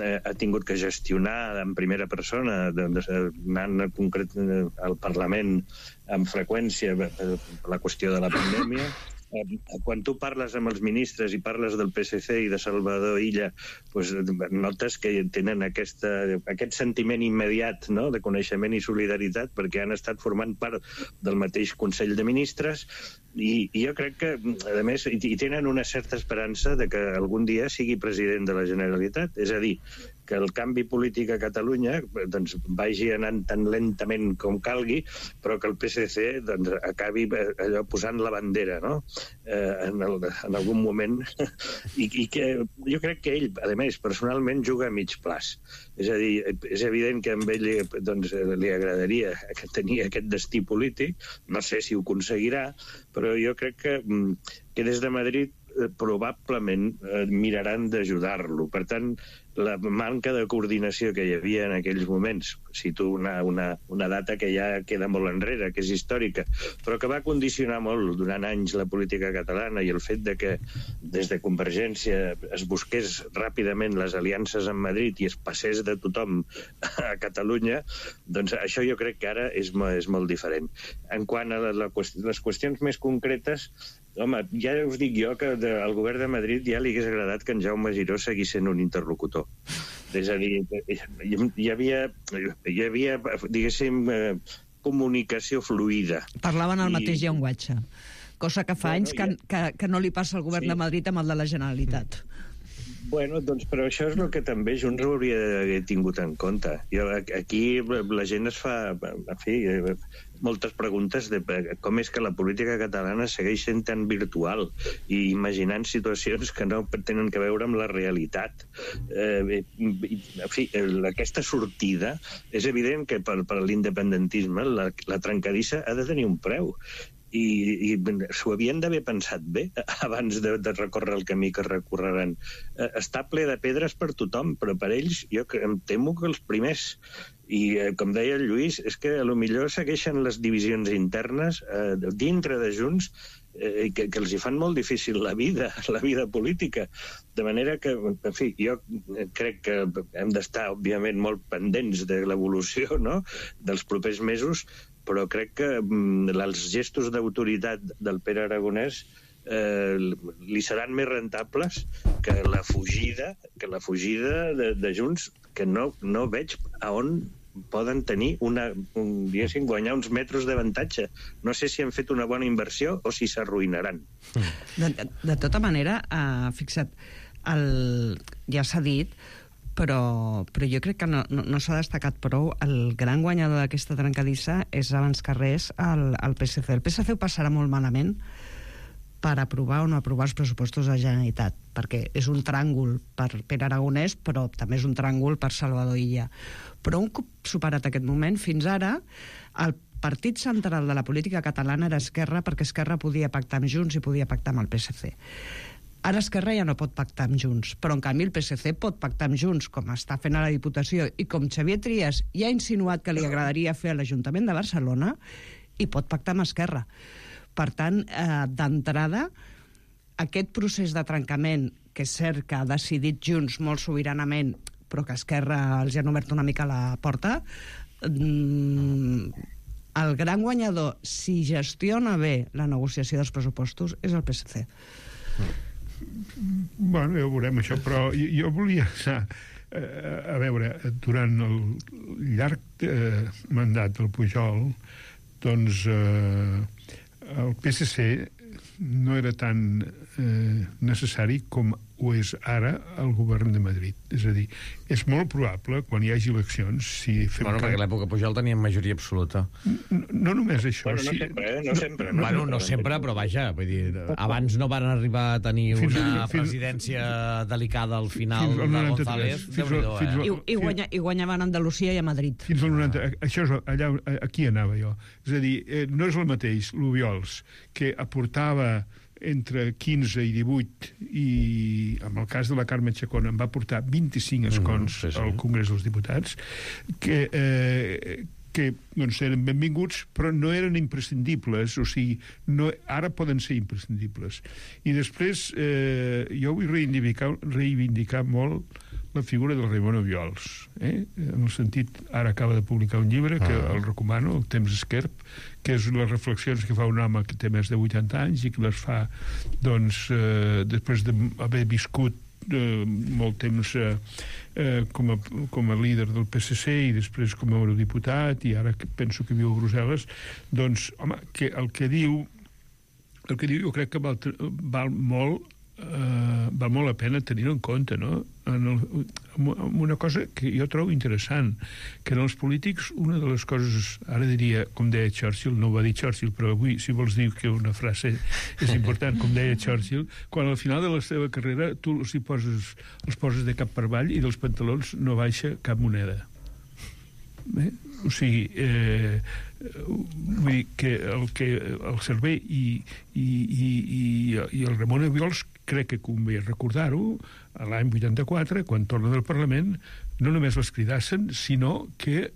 eh, ha tingut que gestionar en primera persona, doncs, anant concret al Parlament amb freqüència la qüestió de la pandèmia. Quan tu parles amb els ministres i parles del P S C i de Salvador Illa, doncs notes que tenen aquesta, aquest sentiment immediat, no?, de coneixement i solidaritat, perquè han estat formant part del mateix Consell de Ministres, i, i jo crec que, a més, i tenen una certa esperança de que algun dia sigui president de la Generalitat. És a dir, que el canvi polític a Catalunya doncs, vagi anant tan lentament com calgui, però que el P S C doncs, acabi allò posant la bandera, no?, eh, en, el, en algun moment. I, I que jo crec que ell, a més, personalment juga a mig plaç. És a dir, és evident que a ell doncs, li agradaria tenir aquest destí polític, no sé si ho aconseguirà, però jo crec que, que des de Madrid probablement eh, miraran d'ajudar-lo. Per tant, la manca de coordinació que hi havia en aquells moments, cito una, una, una data que ja queda molt enrere, que és històrica, però que va condicionar molt durant anys la política catalana, i el fet de que des de Convergència es busqués ràpidament les aliances amb Madrid i es passés de tothom a Catalunya, doncs això jo crec que ara és, és molt diferent. En quant a la, la, les qüestions més concretes, home, ja us dic jo que de, al govern de Madrid ja li hagués agradat que en Jaume Giró seguís sent un interlocutor. És a dir, hi havia, hi havia diguéssim, comunicació fluida. Parlaven el I... mateix llenguatge, cosa que fa bueno, anys que, ja... que, que no li passa al govern sí. de Madrid amb el de la Generalitat. Bueno, doncs, però això és el que també Junts hauria d'haver tingut en compte. Jo, aquí la gent es fa, en fi, moltes preguntes de com és que la política catalana segueix sent tan virtual i imaginant situacions que no tenen que veure amb la realitat. Eh, en fi, aquesta sortida, és evident que per, per l'independentisme la, la trencadissa ha de tenir un preu. I, i s'ho havien d'haver pensat bé abans de, de recórrer el camí que recorreran. Eh, està ple de pedres per tothom, però per ells jo em temo que els primers. I, eh, com deia el Lluís, és que a lo millor segueixen les divisions internes eh, dintre de Junts eh, que, que els hi fan molt difícil la vida, la vida política. De manera que, en fi, jo crec que hem d'estar, òbviament, molt pendents de l'evolució, no?, dels propers mesos, però crec que mm, els gestos d'autoritat del Pere Aragonès eh, li seran més rentables que la fugida, que la fugida de, de Junts, que no, no veig a on poden tenir una, un, diguéssim, guanyar uns metres d'avantatge. No sé si han fet una bona inversió o si s'arruïnaran. De, de, de tota manera, eh, fixa't, el, ja s'ha dit, però, però jo crec que no, no, no s'ha destacat prou. El gran guanyador d'aquesta trencadissa és abans que res el, el P S C. El P S C ho passarà molt malament per aprovar o no aprovar els pressupostos de la Generalitat, perquè és un tràngol per Pere Aragonès, però també és un tràngol per Salvador Illa. Però un cop superat aquest moment, fins ara, el partit central de la política catalana era Esquerra, perquè Esquerra podia pactar amb Junts i podia pactar amb el P S C. Ara Esquerra ja no pot pactar amb Junts, però en canvi el P S C pot pactar amb Junts, com està fent a la Diputació, i com Xavier Trias ja ha insinuat que li agradaria fer a l'Ajuntament de Barcelona, i pot pactar amb Esquerra. Per tant, eh, d'entrada, aquest procés de trencament, que és cert que ha decidit Junts molt sobiranament, però que Esquerra els ha obert una mica la porta, mm, el gran guanyador, si gestiona bé la negociació dels pressupostos, és el P S C. Bueno, ja ho veurem, això, però jo, jo volia anar a veure, durant el llarg eh, mandat del Pujol, doncs eh, el P S C no era tan eh, necessari com ho és ara el govern de Madrid. És a dir, és molt probable, quan hi hagi eleccions, si fem... Bueno, perquè a l'època Pujol tenien majoria absoluta. No, no només això... Bueno, no si... sempre, eh? No sempre. No, bueno, no sempre, però vaja, vull dir, abans no van arribar a tenir fins una fins, presidència delicada al final de González. Fins al, fins al, I, i, guanya, I guanyaven a Andalusia i a Madrid. Fins al noranta. Això és allà, aquí anava jo. És a dir, eh, no és el mateix l'Obiols, que aportava entre quinze i divuit, i en el cas de la Carme Chacón en va portar vint-i-cinc escons mm, sí, sí. al Congrés dels Diputats, que, eh, que doncs, eren benvinguts, però no eren imprescindibles, o sigui, no, ara poden ser imprescindibles. I després, eh, jo vull reivindicar, reivindicar molt la figura del Raimon Obiols, eh? En el sentit, ara acaba de publicar un llibre que ah. el recomano, El temps esquerp, que és les reflexions que fa un home que té més de vuitanta anys i que les fa, doncs, eh, després d'haver viscut eh, molt temps eh, eh, com, a, com a líder del P S C i després com a eurodiputat, i ara que penso que viu a Brussel·les, doncs, home, que el que diu el que diu jo crec que val, val molt Uh, val molt la pena tenir-ho en compte, no? En, el, en una cosa que jo trobo interessant, que en els polítics una de les coses, ara diria, com deia Churchill, no ho va dir Churchill, però avui, si vols dir que una frase és important, com deia Churchill, quan al final de la seva carrera tu els, hi poses, els poses de cap per avall i dels pantalons no baixa cap moneda. Bé? O sigui, eh, vull dir que el, que el servei i, i, i, i, i el Ramon Obiols, crec que convé recordar-ho, l'any vuitanta-quatre, quan torna del Parlament, no només les cridassen, sinó que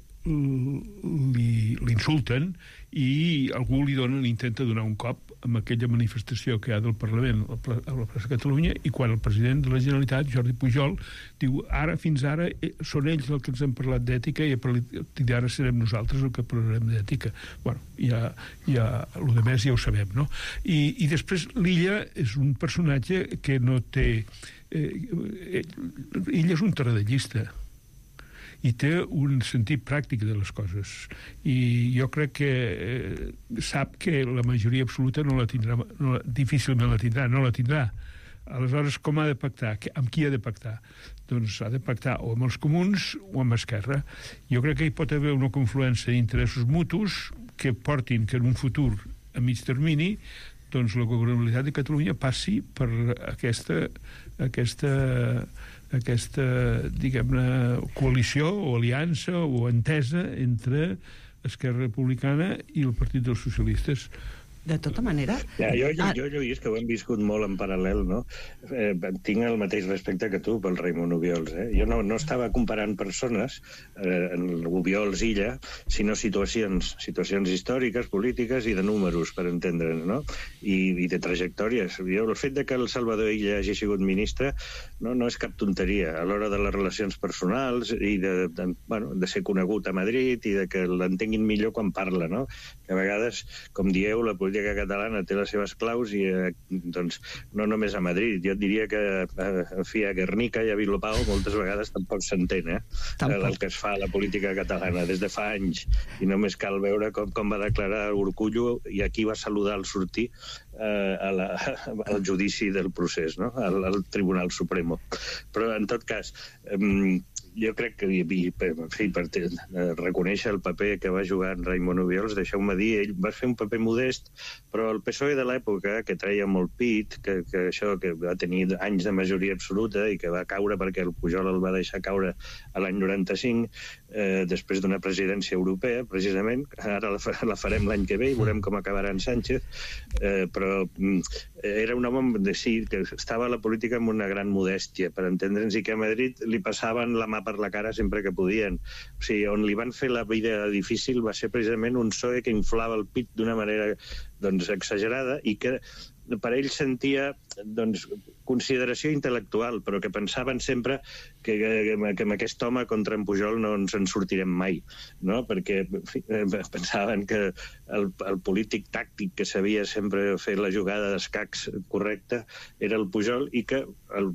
l'insulten i algú li dona, li intenta donar un cop amb aquella manifestació que hi ha del Parlament a la plaça de Catalunya, i quan el president de la Generalitat, Jordi Pujol, diu, ara, fins ara, són ells els que ens han parlat d'ètica i a partir d'ara serem nosaltres el que parlarem d'ètica. Bueno, ja, ja, el de més ja ho sabem, no? I, i després l'Illa és un personatge que no té... Eh, Illa és un taradellista i té un sentit pràctic de les coses, i jo crec que eh, sap que la majoria absoluta no la tindrà, no, difícilment la tindrà, no la tindrà. Aleshores, com ha de pactar? Amb qui ha de pactar? Doncs ha de pactar o amb els comuns o amb Esquerra. Jo crec que hi pot haver una confluència d'interessos mutus que portin que en un futur a mig termini doncs la governabilitat de Catalunya passi per aquesta aquesta aquesta, diguem-ne, coalició o aliança o entesa entre Esquerra Republicana i el Partit dels Socialistes. De tota manera... Ja, jo, jo, jo, Lluís, que ho hem viscut molt en paral·lel, no? Eh, tinc el mateix respecte que tu pel Raimon Obiols, eh? Jo no, no estava comparant persones, eh, en Obiols Illa, sinó situacions, situacions històriques, polítiques i de números, per entendre'n, no? I, i de trajectòries. Jo, el fet de que el Salvador Illa hagi sigut ministre no, no és cap tonteria. A l'hora de les relacions personals i de, de, bueno, de ser conegut a Madrid i de que l'entenguin millor quan parla, no? Que a vegades, com dieu, la política catalana té les seves claus i eh, doncs no només a Madrid, jo et diria que eh, en fi, a Guernica i a Bilbao moltes vegades tampoc s'entén eh? el, el que es fa a la política catalana des de fa anys, i només cal veure com, com va declarar Urkullu i aquí va saludar al sortir eh, a la, al judici del procés, no? al, al Tribunal Supremo. Però en tot cas eh, jo crec que, en fi, per reconèixer el paper que va jugar en Raimon Obiols, deixeu-me dir, ell va fer un paper modest, però el P S O E de l'època, que treia molt pit, que, que això, que va tenir anys de majoria absoluta i que va caure perquè el Pujol el va deixar caure a l'any noranta-cinc, eh, després d'una presidència europea, precisament, ara la, la farem l'any que ve i veurem com acabarà en Sánchez, eh, però mm, era un home de sí, que estava a la política amb una gran modèstia, per entendre'ns, i que a Madrid li passaven la mà per la cara sempre que podien. O sigui, on li van fer la vida difícil va ser precisament un P S O E que inflava el pit d'una manera doncs, exagerada i que per ell sentia doncs, consideració intel·lectual, però que pensaven sempre que, que, que amb aquest home contra en Pujol no ens en sortirem mai, no? Perquè en fi, pensaven que el, el polític tàctic que sabia sempre fer la jugada d'escacs correcta era el Pujol i que el,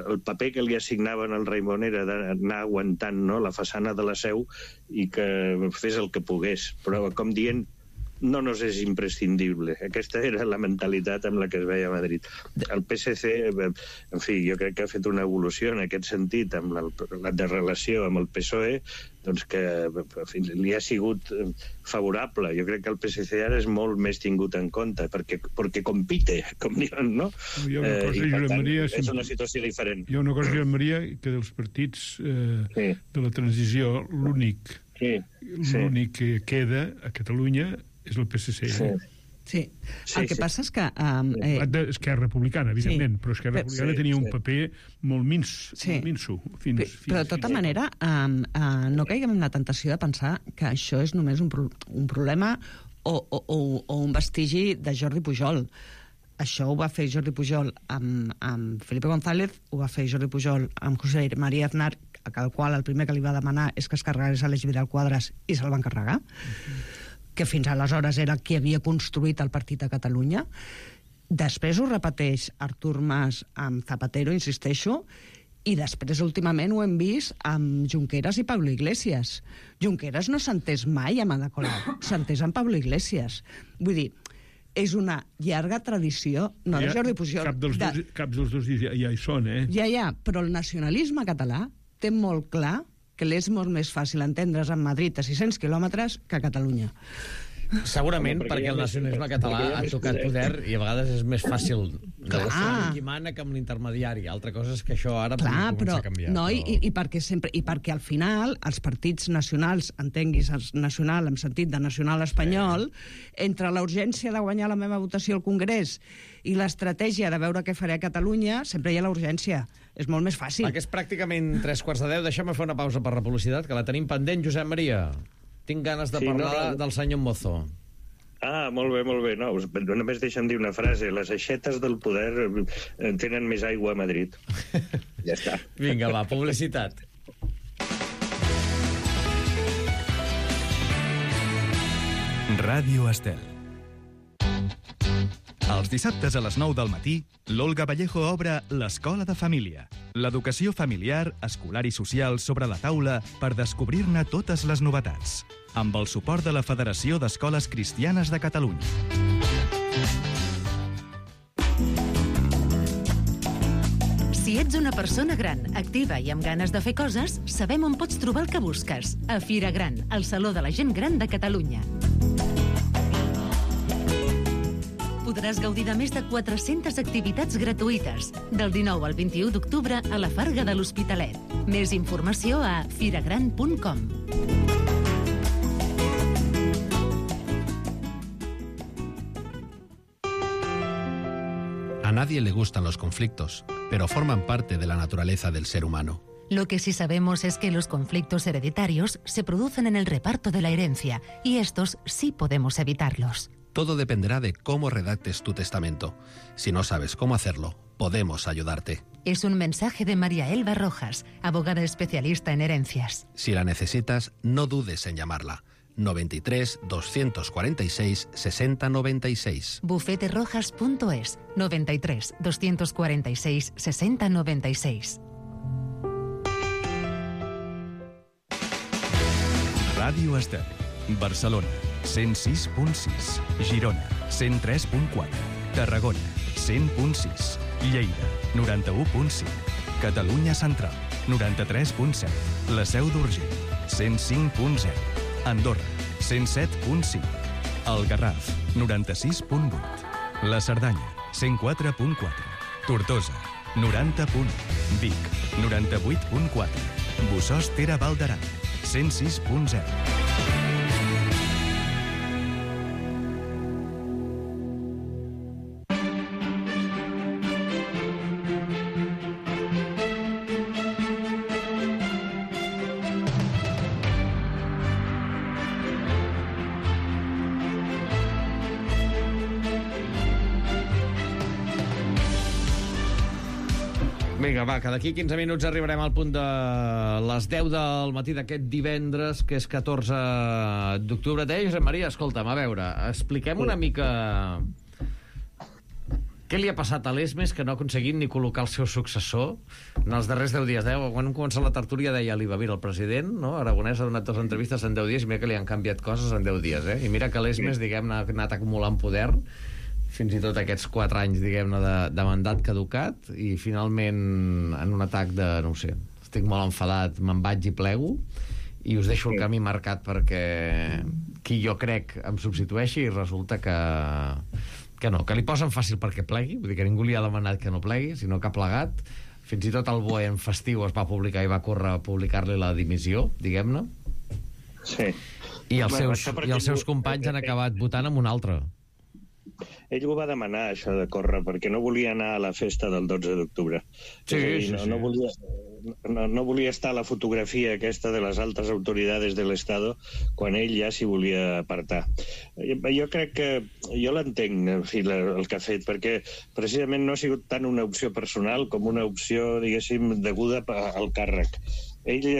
el paper que li assignaven al Raimon era d'anar aguantant, no?, la façana de la Seu i que fes el que pogués, però com dient no nos és imprescindible. Aquesta era la mentalitat amb la que es veia a Madrid. El P S C, en fi, jo crec que ha fet una evolució en aquest sentit, amb la, la de relació amb el P S O E, doncs que en fi, li ha sigut favorable. Jo crec que el P S C ara és molt més tingut en compte, perquè, perquè compite, com diuen, no? Hi ha una cosa, eh, i per tant, Maria, és una situació diferent. Hi ha una cosa, Josep Maria, que dels partits eh, sí. de la transició, l'únic sí. l'únic que queda a Catalunya és el P S C. Sí. Sí. sí, el que sí. passa és que... Um, eh... Esquerra Republicana, evidentment, sí. però Esquerra Republicana sí, tenia un sí. paper molt mins, sí. molt minso. Fins, fins, però, de tota fins manera, um, uh, no caiguem en la tentació de pensar que això és només un, pro un problema o, o, o, o un vestigi de Jordi Pujol. Això ho va fer Jordi Pujol amb, amb Felipe González, ho va fer Jordi Pujol amb José María Aznar, al qual el primer que li va demanar és que es carregués Aleix Vidal Quadras i se'l van carregar. Uh-huh. Que fins aleshores era qui havia construït el Partit a Catalunya. Després ho repeteix Artur Mas amb Zapatero, insisteixo, i després últimament ho hem vist amb Junqueras i Pablo Iglesias. Junqueras no s'ha entès mai amb Ada Colau, s'ha entès amb Pablo Iglesias. Vull dir, és una llarga tradició, no de Jordi Pujol... Cap dels, de... dos, cap dels dos ja, ja hi són, eh? Ja, ja, però el nacionalisme català té molt clar que l'és molt més fàcil entendre's en Madrid a sis-cents quilòmetres que a Catalunya. Segurament, perquè, perquè el nacionalisme català ha tocat poder i a vegades és més fàcil negociar amb qui mana que amb l'intermediari. Altra cosa és que això ara Clar, començar però, a canviar. No, però... i, i, perquè sempre, I perquè al final els partits nacionals, entenguis nacional en sentit de nacional espanyol, sí. entre la urgència de guanyar la meva votació al Congrés i l'estratègia de veure què faré a Catalunya, sempre hi ha la urgència. És molt més fàcil. Va, que és pràcticament tres quarts de deu. Deixem-me fer una pausa per la publicitat, que la tenim pendent, Josep Maria. Tinc ganes de sí, parlar no, no. del senyor Mozo. Ah, molt bé, molt bé. No, només deixa'm dir una frase. Les aixetes del poder tenen més aigua a Madrid. Ja està. Vinga, va, publicitat. Ràdio Estel. Els dissabtes a les nou del matí, l'Olga Vallejo obre l'Escola de Família. L'educació familiar, escolar i social sobre la taula per descobrir-ne totes les novetats. Amb el suport de la Federació d'Escoles Cristianes de Catalunya. Si ets una persona gran, activa i amb ganes de fer coses, sabem on pots trobar el que busques. A Fira Gran, el Saló de la Gent Gran de Catalunya. Podràs gaudir de més de quatre-centes activitats gratuïtes, del dinou al vint-i-u d'octubre a la Farga de l'Hospitalet. Més informació a firagran punt com. A nadie le gustan los conflictos, pero forman parte de la naturaleza del ser humano. Lo que sí sabemos es que los conflictos hereditarios se producen en el reparto de la herencia, y estos sí podemos evitarlos. Todo dependerá de cómo redactes tu testamento. Si no sabes cómo hacerlo, podemos ayudarte. Es un mensaje de María Elba Rojas, abogada especialista en herencias. Si la necesitas, no dudes en llamarla. noventa y tres, doscientos cuarenta y seis, sesenta noventa y seis. bufete rojas punto es, noventa y tres, doscientos cuarenta y seis, sesenta noventa y seis. Ràdio Estel, Barcelona, cent sis punt sis, Girona, cent tres punt quatre, Tarragona, cent punt sis, Lleida, noranta-u punt cinc, Catalunya Central, noranta-tres punt set. La Seu d'Urgell, cent cinc punt zero. Andorra, cent set punt cinc. El Garraf, noranta-sis punt vuit. La Cerdanya, cent quatre punt quatre. Tortosa, noranta punt u. Vic, noranta-vuit punt quatre. Bossòst Ter Val d'Aran, cent sis punt zero. Vinga, va, que d'aquí quinze minuts arribarem al punt de les deu del matí d'aquest divendres, que és catorze d'octubre. Deia Josep Maria, escolta'm, a veure, expliquem una mica què li ha passat a l'Esmes que no ha aconseguit ni col·locar el seu successor en els darrers deu dies. Eh? Quan hem començat la tertúlia deia l'Iva, mira, el president, no? Aragonès ha donat dues entrevistes en deu dies i mira que li han canviat coses en deu dies. Eh? I mira que l'Esmes, diguem-ne, ha anat acumulant poder fins i tot aquests quatre anys, diguem-ne, de, de mandat caducat, i finalment, en un atac de, no ho sé, estic molt enfadat, me'n vaig i plego, i us deixo el camí marcat perquè qui jo crec em substitueixi, i resulta que, que no, que li posen fàcil perquè plegui, vull dir que ningú li ha demanat que no plegui, sinó que ha plegat. Fins i tot el B O E en festiu es va publicar i va córrer a publicar-li la dimissió, diguem-ne. Sí. I els seus, i els seus companys han acabat votant amb un altre. Ell ho va demanar, això de córrer, perquè no volia anar a la festa del dotze d'octubre. Sí, sí, no, sí. No volia, no, no volia estar a la fotografia aquesta de les altes autoritats de l'Estado quan ell ja s'hi volia apartar. Jo crec que... Jo l'entenc, en fi, el que ha fet, perquè precisament no ha sigut tant una opció personal com una opció, diguéssim, deguda al càrrec. Ell...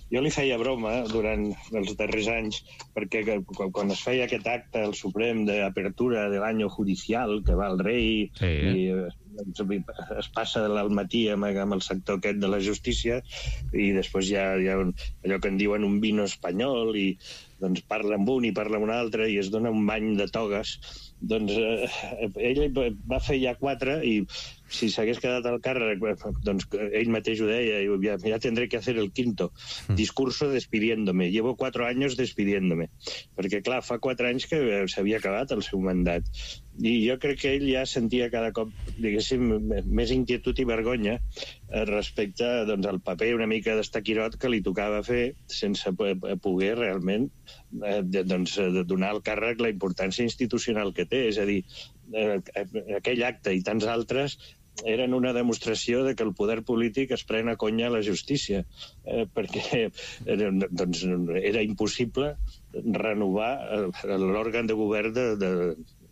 Jo li feia broma durant els darrers anys, perquè quan es feia aquest acte al Suprem d'apertura de l'any judicial, que va el rei, sí, eh? i es passa al matí amb, amb el sector aquest de la justícia, i després hi ha, hi ha un, allò que en diuen un vino espanyol, i doncs parla amb un i parla amb un altre, i es dona un bany de togues. Doncs eh, ell va fer ja quatre, i si s'hagués quedat al càrrec, doncs ell mateix ho deia, ja, ja tendré que hacer el quinto discurso despidiéndome. Llevo cuatro años despidiéndome. Perquè, clar, fa quatre anys que s'havia acabat el seu mandat. I jo crec que ell ja sentia cada cop, diguéssim, més inquietud i vergonya respecte, doncs, al paper una mica d'estaquirot que li tocava fer sense poder realment eh, doncs, donar al càrrec la importància institucional que té. És a dir, eh, aquell acte i tants altres eren una demostració de que el poder polític es pren a conya la justícia, eh, perquè era, doncs, era impossible renovar l'òrgan de govern de, de,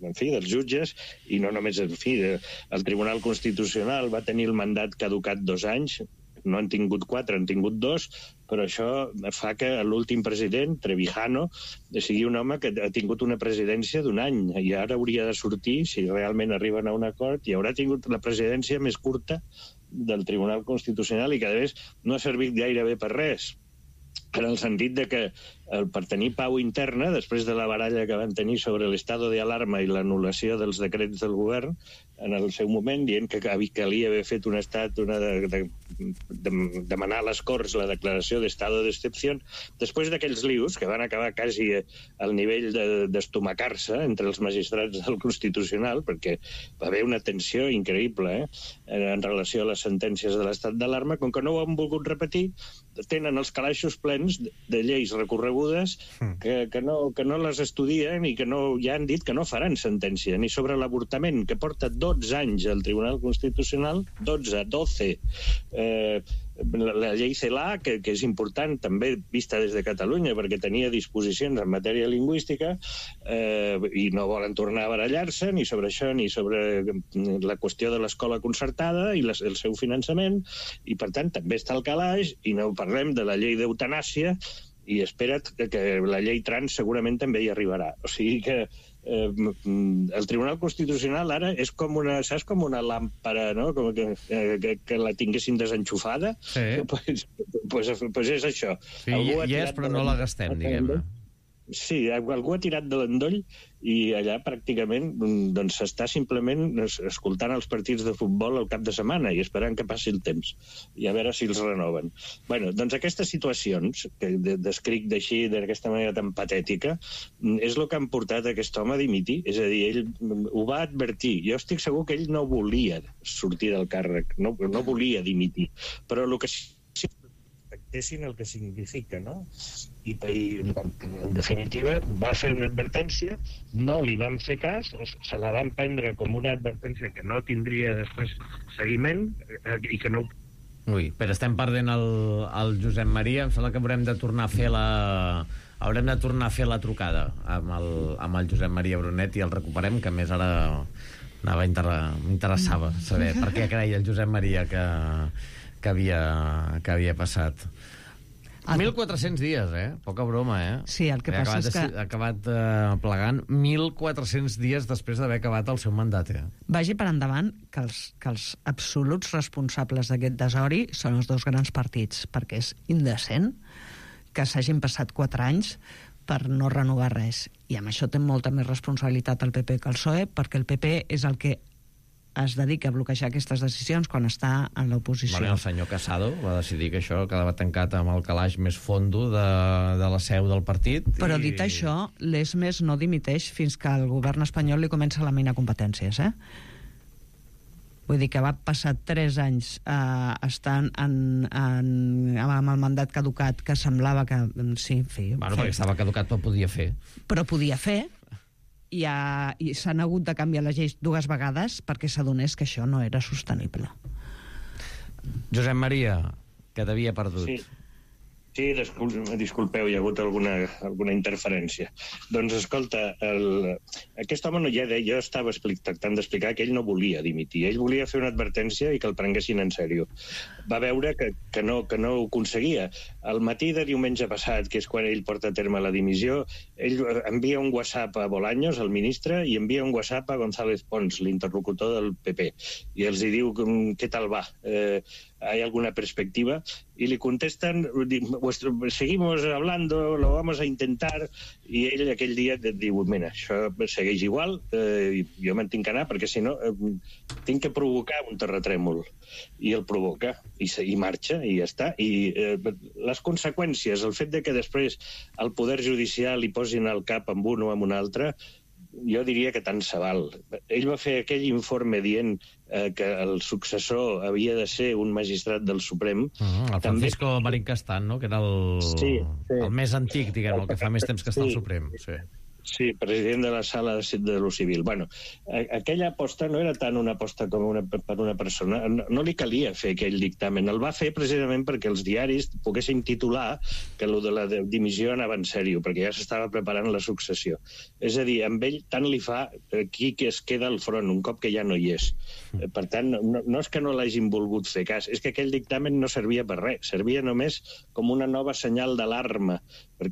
en fi, dels jutges, i no només, en fi, el Tribunal Constitucional va tenir el mandat caducat dos anys, no han tingut quatre, han tingut dos, però això fa que l'últim president, Trevijano, sigui un home que ha tingut una presidència d'un any, i ara hauria de sortir, si realment arriben a un acord, i haurà tingut la presidència més curta del Tribunal Constitucional, i que, a més, no ha servit gaire bé per res, en el sentit de que per tenir pau interna, després de la baralla que van tenir sobre l'estado de alarma i l'anul·lació dels decrets del govern, en el seu moment, dient que calia haver fet un estat, una de, de, de demanar a les Corts la declaració d'estado d'excepció, després d'aquells lius, que van acabar quasi al nivell d'estomacar-se entre els magistrats del Constitucional, perquè va haver una tensió increïble eh, en relació a les sentències de l'estat d'alarma, com que no ho han volgut repetir, tenen els calaixos plens de lleis recorregudes que, que, no, que no les estudien i que no, ja han dit que no faran sentència, ni sobre l'avortament, que porta dotze anys al Tribunal Constitucional, dotze, doce, eh, la, la llei CELA, que, que és important també vista des de Catalunya, perquè tenia disposicions en matèria lingüística eh, i no volen tornar a barallar-se ni sobre això, ni sobre la qüestió de l'escola concertada i les, el seu finançament, i per tant també està al calaix, i no parlem de la llei d'eutanàsia, i espera't que, que la llei trans segurament també hi arribarà. O sigui que eh, el Tribunal Constitucional ara és com una, saps, com una làmpara, no? Com que, que, que la tinguessin desenxufada. Sí. Pues, pues, pues és això. Sí, hi és, però no la gastem, diguem-ne. Sí, algú ha tirat de l'endoll i allà pràcticament doncs, s'està simplement escoltant els partits de futbol al cap de setmana i esperant que passi el temps i a veure si els renoven. Bueno, doncs aquestes situacions que descric d'així, d'aquesta manera tan patètica, és el que han portat aquest home a dimitir. És a dir, ell ho va advertir. Jo estic segur que ell no volia sortir del càrrec, no, no volia dimitir, però el que sí respectessin el que significa, no? I, i en definitiva va fer una advertència, no li van fer cas, se la van prendre com una advertència que no tindria després seguiment i que no... Ui, però estem perdent el, el Josep Maria, em sembla que haurem de tornar a fer la... haurem de tornar a fer la trucada amb el, amb el Josep Maria Brunet i el recuperem, que a més ara anava inter... m'interessava saber per què creia el Josep Maria que, que, havia, que havia passat. mil quatre-cents dies, eh? Poca broma, eh? Sí, el que passa és que... Ha acabat eh, plegant mil quatre-cents dies després d'haver acabat el seu mandat, eh? Vagi per endavant que els, que els absoluts responsables d'aquest desori són els dos grans partits, perquè és indecent que s'hagin passat quatre anys per no renovar res. I amb això té molta més responsabilitat el P P que el P S O E, perquè el P P és el que es dedica a bloquejar aquestes decisions quan està en l'oposició. Bueno, el senyor Casado va decidir que això quedava tancat amb el calaix més fondo de, de la seu del partit. Però i... dit això, l'E S M E S no dimiteix fins que el govern espanyol li comença a laminar competències, eh? Vull dir que va passar tres anys eh, estant en, en, amb el mandat caducat, que semblava que... Sí, en fi... Bueno, perquè estava caducat, però podia fer. Però podia fer, i, ha, i s'han hagut de canviar les lleis dues vegades perquè s'adonés que això no era sostenible. Josep Maria, que t'havia perdut. Sí. Sí, disculpeu, hi ha hagut alguna, alguna interferència. Doncs, escolta, el, aquest home, no, ja de, jo estava explic, tractant d'explicar que ell no volia dimitir, ell volia fer una advertència i que el prenguessin en sèrio. Va veure que, que, no, que no ho aconseguia. Al matí de diumenge passat, que és quan ell porta a terme la dimissió, ell envia un WhatsApp a Bolaños, el ministre, i envia un WhatsApp a González Pons, l'interlocutor del P P, i els hi diu què tal va, eh, ¿hay alguna perspectiva? Y le contestan, seguimos hablando, lo vamos a intentar, i ell aquell dia diu, mira, això segueix igual, eh, jo me'n tinc que anar, perquè si no eh, tinc que provocar un terratrèmol. I el provoca, i, i marxa, i ja està. I eh, les conseqüències, el fet de que després el poder judicial li posin al cap amb un o amb un altre, jo diria que tant se val. Ell va fer aquell informe dient eh, que el successor havia de ser un magistrat del Suprem. Uh-huh, el Francisco També... Marín Castán, no? Que era el, sí, sí. el més antic, diguem, el que fa més temps que està al Suprem. Sí. Sí, president de la sala de, de lo civil. Bueno, aquella aposta no era tant una aposta com una, per una persona. No, no li calia fer aquell dictamen. El va fer precisament perquè els diaris poguessin titular que el de la dimissió anava en sèrio, perquè ja s'estava preparant la successió. És a dir, amb ell tant li fa qui que es queda al front un cop que ja no hi és. Per tant, no, no és que no l'hagin volgut fer cas, és que aquell dictamen no servia per res, servia només com una nova senyal d'alarma.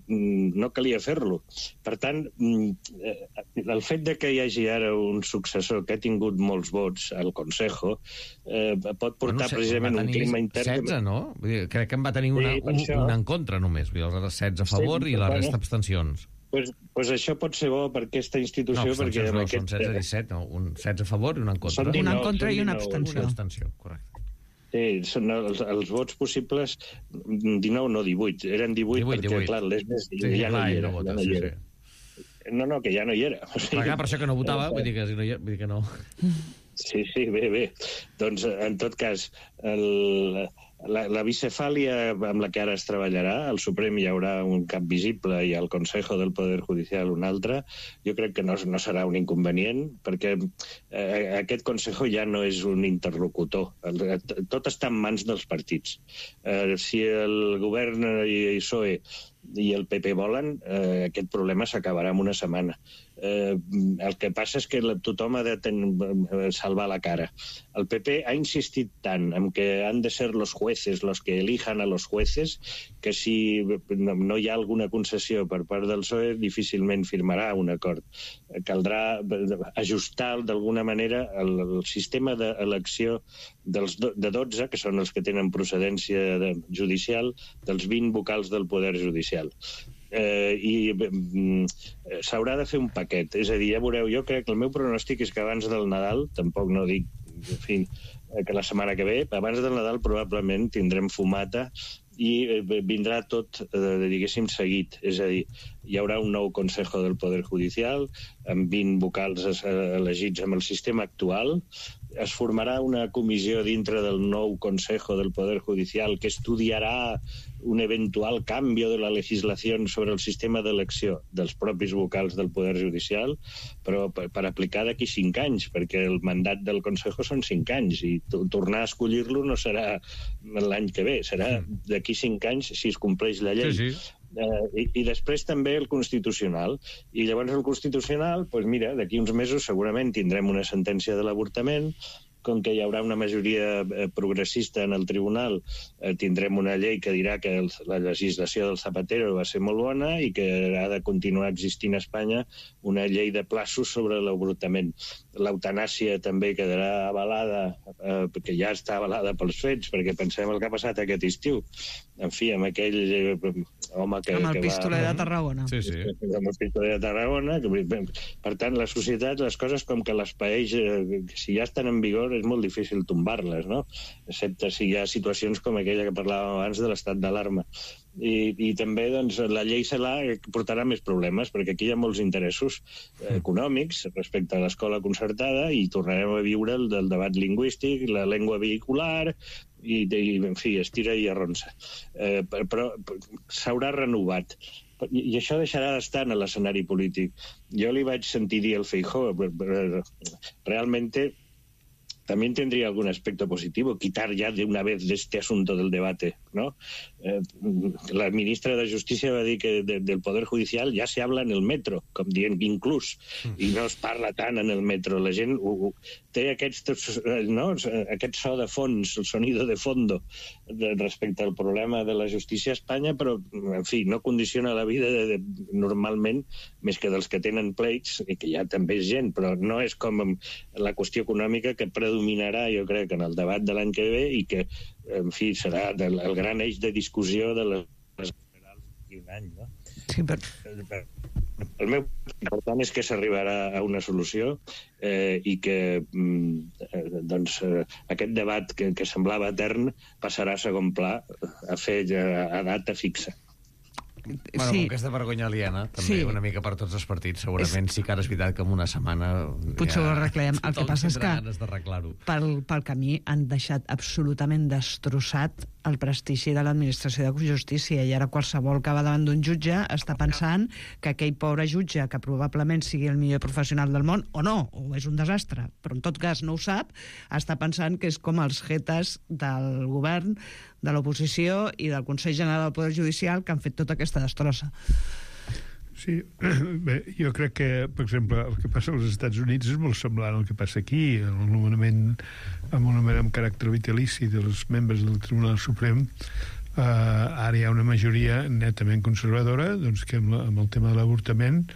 No calia fer-lo. Per tant, el fet de que hi hagi ara un successor que ha tingut molts vots al Consejo eh, pot portar bueno, precisament un clima intern... setze, no? Vull dir, crec que en va tenir una, sí, un, una en contra només. Vull dir, els setze a favor sí, i la bueno, resta abstencions. Pues, pues això pot ser bo per aquesta institució... No, perquè no, aquest... són setze a disset, no, un setze a favor i un en contra. dinou, un en contra i una abstenció. Una abstenció, correcte. Sí, són els, els vots possibles, dinou, no, divuit. Eren divuit, divuit perquè, divuit. Clar, l'E S M E S sí, ja no hi era. No, vota, ja no, sí, hi era. Sí. no, no, que ja no hi era. O sigui, clar, per això que no votava, vull dir que, si no hi era, vull dir que no... Sí, sí, bé, bé. Doncs, en tot cas, el, la, la bicefàlia amb la que ara es treballarà, al Suprem hi haurà un cap visible i al Consejo del Poder Judicial un altre, jo crec que no, no serà un inconvenient, perquè eh, aquest Consejo ja no és un interlocutor. Tot està en mans dels partits. Eh, si el govern i el P S O E i el P P volen, eh, aquest problema s'acabarà en una setmana. Eh, el que passa és que tothom ha de ten, salvar la cara. El P P ha insistit tant en que han de ser los jueces los que elijan a los jueces que si no, no hi ha alguna concessió per part del P S O E difícilment firmarà un acord. Caldrà ajustar d'alguna manera el, el sistema d'elecció dels do, de dotze, que són els que tenen procedència de, judicial, dels vint vocals del Poder Judicial. eh, i eh, s'haurà de fer un paquet. És a dir, ja veureu, jo crec que el meu pronòstic és que abans del Nadal, tampoc no dic, en fi, que la setmana que ve, abans del Nadal probablement tindrem fumata i vindrà tot, eh, diguéssim, seguit. És a dir, hi haurà un nou Consejo del Poder Judicial, amb vint vocals elegits amb el sistema actual. Es formarà una comissió dintre del nou Consejo del Poder Judicial que estudiarà un eventual canvi de la legislació sobre el sistema d'elecció dels propis vocals del Poder Judicial, però per, per aplicar d'aquí cinc anys, perquè el mandat del Consejo són cinc anys, i tornar a escollir-lo no serà l'any que ve, serà d'aquí cinc anys si es compleix la llei. Sí, sí. Uh, i, i després també el Constitucional. I llavors el Constitucional, doncs mira, d'aquí uns mesos segurament tindrem una sentència de l'avortament, com que hi haurà una majoria eh, progressista en el tribunal, eh, tindrem una llei que dirà que el, la legislació del Zapatero va ser molt bona i que ha de continuar existint a Espanya una llei de plaços sobre l'avortament. L'eutanàsia també quedarà avalada, eh, que ja està avalada pels fets, perquè pensem el que ha passat aquest estiu. En fi, amb aquell eh, home que, amb el que pistoler va... de Tarragona. Sí, sí. Amb el pistoler de Tarragona. Que, per tant, la societat, les coses com que les paeix, eh, si ja estan en vigor, és molt difícil tombar-les, no? Excepte si hi ha situacions com aquella que parlàvem abans de l'estat d'alarma. I, i també doncs, la llei CELA portarà més problemes, perquè aquí hi ha molts interessos eh, econòmics respecte a l'escola concertada i tornarem a viure el del debat lingüístic, la llengua vehicular i, i en fi, estira i arronsa. Eh, però s'haurà renovat. I això deixarà d'estar en l'escenari polític. Jo li vaig sentir dir al Feijóo, realmente también tendría algún aspecto positivo, quitar ya de una vez de este asunto del debate, ¿no? Eh, la ministra de Justícia va dir que de, del Poder Judicial ja se habla en el metro, com dient inclús, i no es parla tant en el metro. La gent uh, uh, té aquests, no? aquest so de fons, el sonido de fondo, de, respecte al problema de la justícia a Espanya, però, en fi, no condiciona la vida de, de, normalment, més que dels que tenen pleits, i que ja també és gent, però no és com la qüestió econòmica que predominarà, jo crec, en el debat de l'any que ve i que, en fi, serà el, el gran eix de discussió de les generals d'aquí un any, no? Sí, però... El meu important és que s'arribarà a una solució eh, i que eh, doncs, eh, aquest debat que, que semblava etern passarà a segon pla a fer a, a data fixa. Bueno, sí. com aquesta vergonya aliena, també Sí. una mica per tots els partits, segurament és... sí que ara és veritat que en una setmana... Potser ho arreglem. El que passa és que pel, pel camí han deixat absolutament destrossat el prestigi de l'administració de justícia, i ara qualsevol que va davant d'un jutge està pensant que aquell pobre jutge, que probablement sigui el millor professional del món, o no, o és un desastre, però en tot cas no ho sap, està pensant que és com els jetes del govern, de l'oposició i del Consell General del Poder Judicial que han fet tota aquesta destrossa. Sí, bé, jo crec que, per exemple, el que passa als Estats Units és molt semblant al que passa aquí, el nomenament amb un nomenament amb caràcter vitalici dels membres del Tribunal Suprem. Uh, ara hi ha una majoria netament conservadora, doncs, que amb, la, amb el tema de l'avortament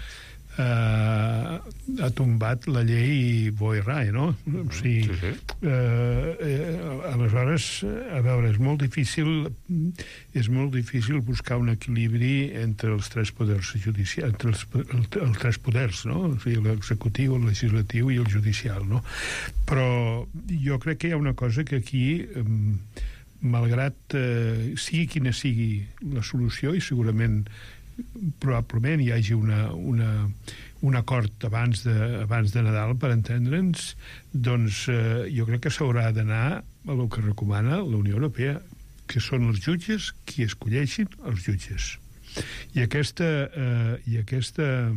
Uh, ha tombat la llei Boy Rai, no? O sigui, sí, sí. Uh, uh, aleshores, a veure, és molt difícil és molt difícil buscar un equilibri entre els tres poders judicials, entre els, el, els tres poders, no? O sigui, l'executiu, el legislatiu i el judicial, no? Però jo crec que hi ha una cosa que aquí, um, malgrat uh, sigui quina sigui la solució, i segurament probablement hi hagi una, una, un acord abans de, abans de Nadal, per entendre'ns, doncs eh, jo crec que s'haurà d'anar a el que recomana la Unió Europea, que són els jutges qui escolleixin els jutges. I aquesta, eh, i aquesta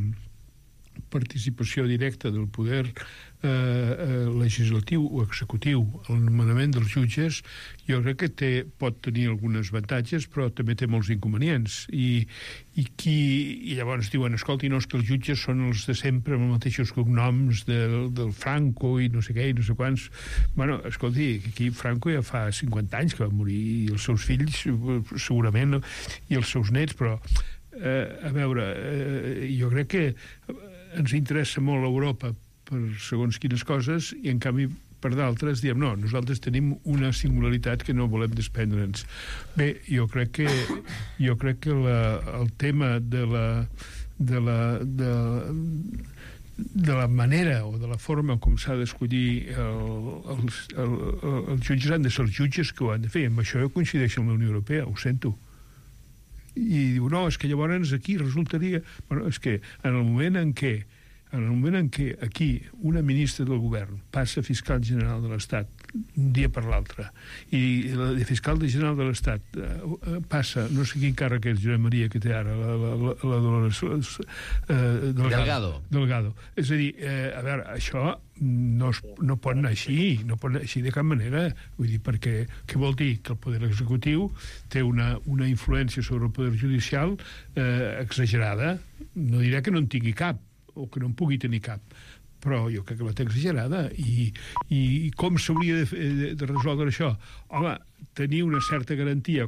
participació directa del poder eh, eh, legislatiu o executiu al nomenament dels jutges, jo crec que té, pot tenir alguns avantatges, però també té molts inconvenients. I, i, qui, i llavors diuen, escolti, no, és que els jutges són els de sempre, amb els mateixos cognoms del, del Franco i no sé què i no sé quants. Bueno, escolti, aquí Franco ja fa cinquanta anys que va morir, i els seus fills segurament, i els seus nets, però eh, a veure, eh, jo crec que ens interessa molt Europa per segons quines coses, i en canvi per d'altres, diem, no, nosaltres tenim una singularitat que no volem desprendre'ns. Bé, jo crec que, jo crec que la, el tema de la, de la, de, de la manera o de la forma com s'ha d'escollir el, els, el, el, els jutges han de ser els jutges que ho han de fer. Amb això jo coincideixo amb la Unió Europea, ho sento. I diu, no, és que llavors aquí resultaria... Bueno, és que en el moment en què en el moment en què aquí una ministra del govern passa a fiscal general de l'Estat un dia per l'altre i la de fiscal general de l'Estat eh, passa, no sé quin càrrec és Josep Maria que té ara, la, la, la, la Dolores eh, Delgado. Delgado. Delgado. És a dir, eh, a veure, això no, es, no pot anar així, no pot anar així de cap manera. Vull dir, perquè què vol dir? Que el poder executiu té una, una influència sobre el poder judicial eh, exagerada. No diré que no en tingui cap, o que no en pugui tenir cap, però jo crec que la té exagerada. I, i com s'hauria de, de resoldre això? Home, tenir una certa garantia,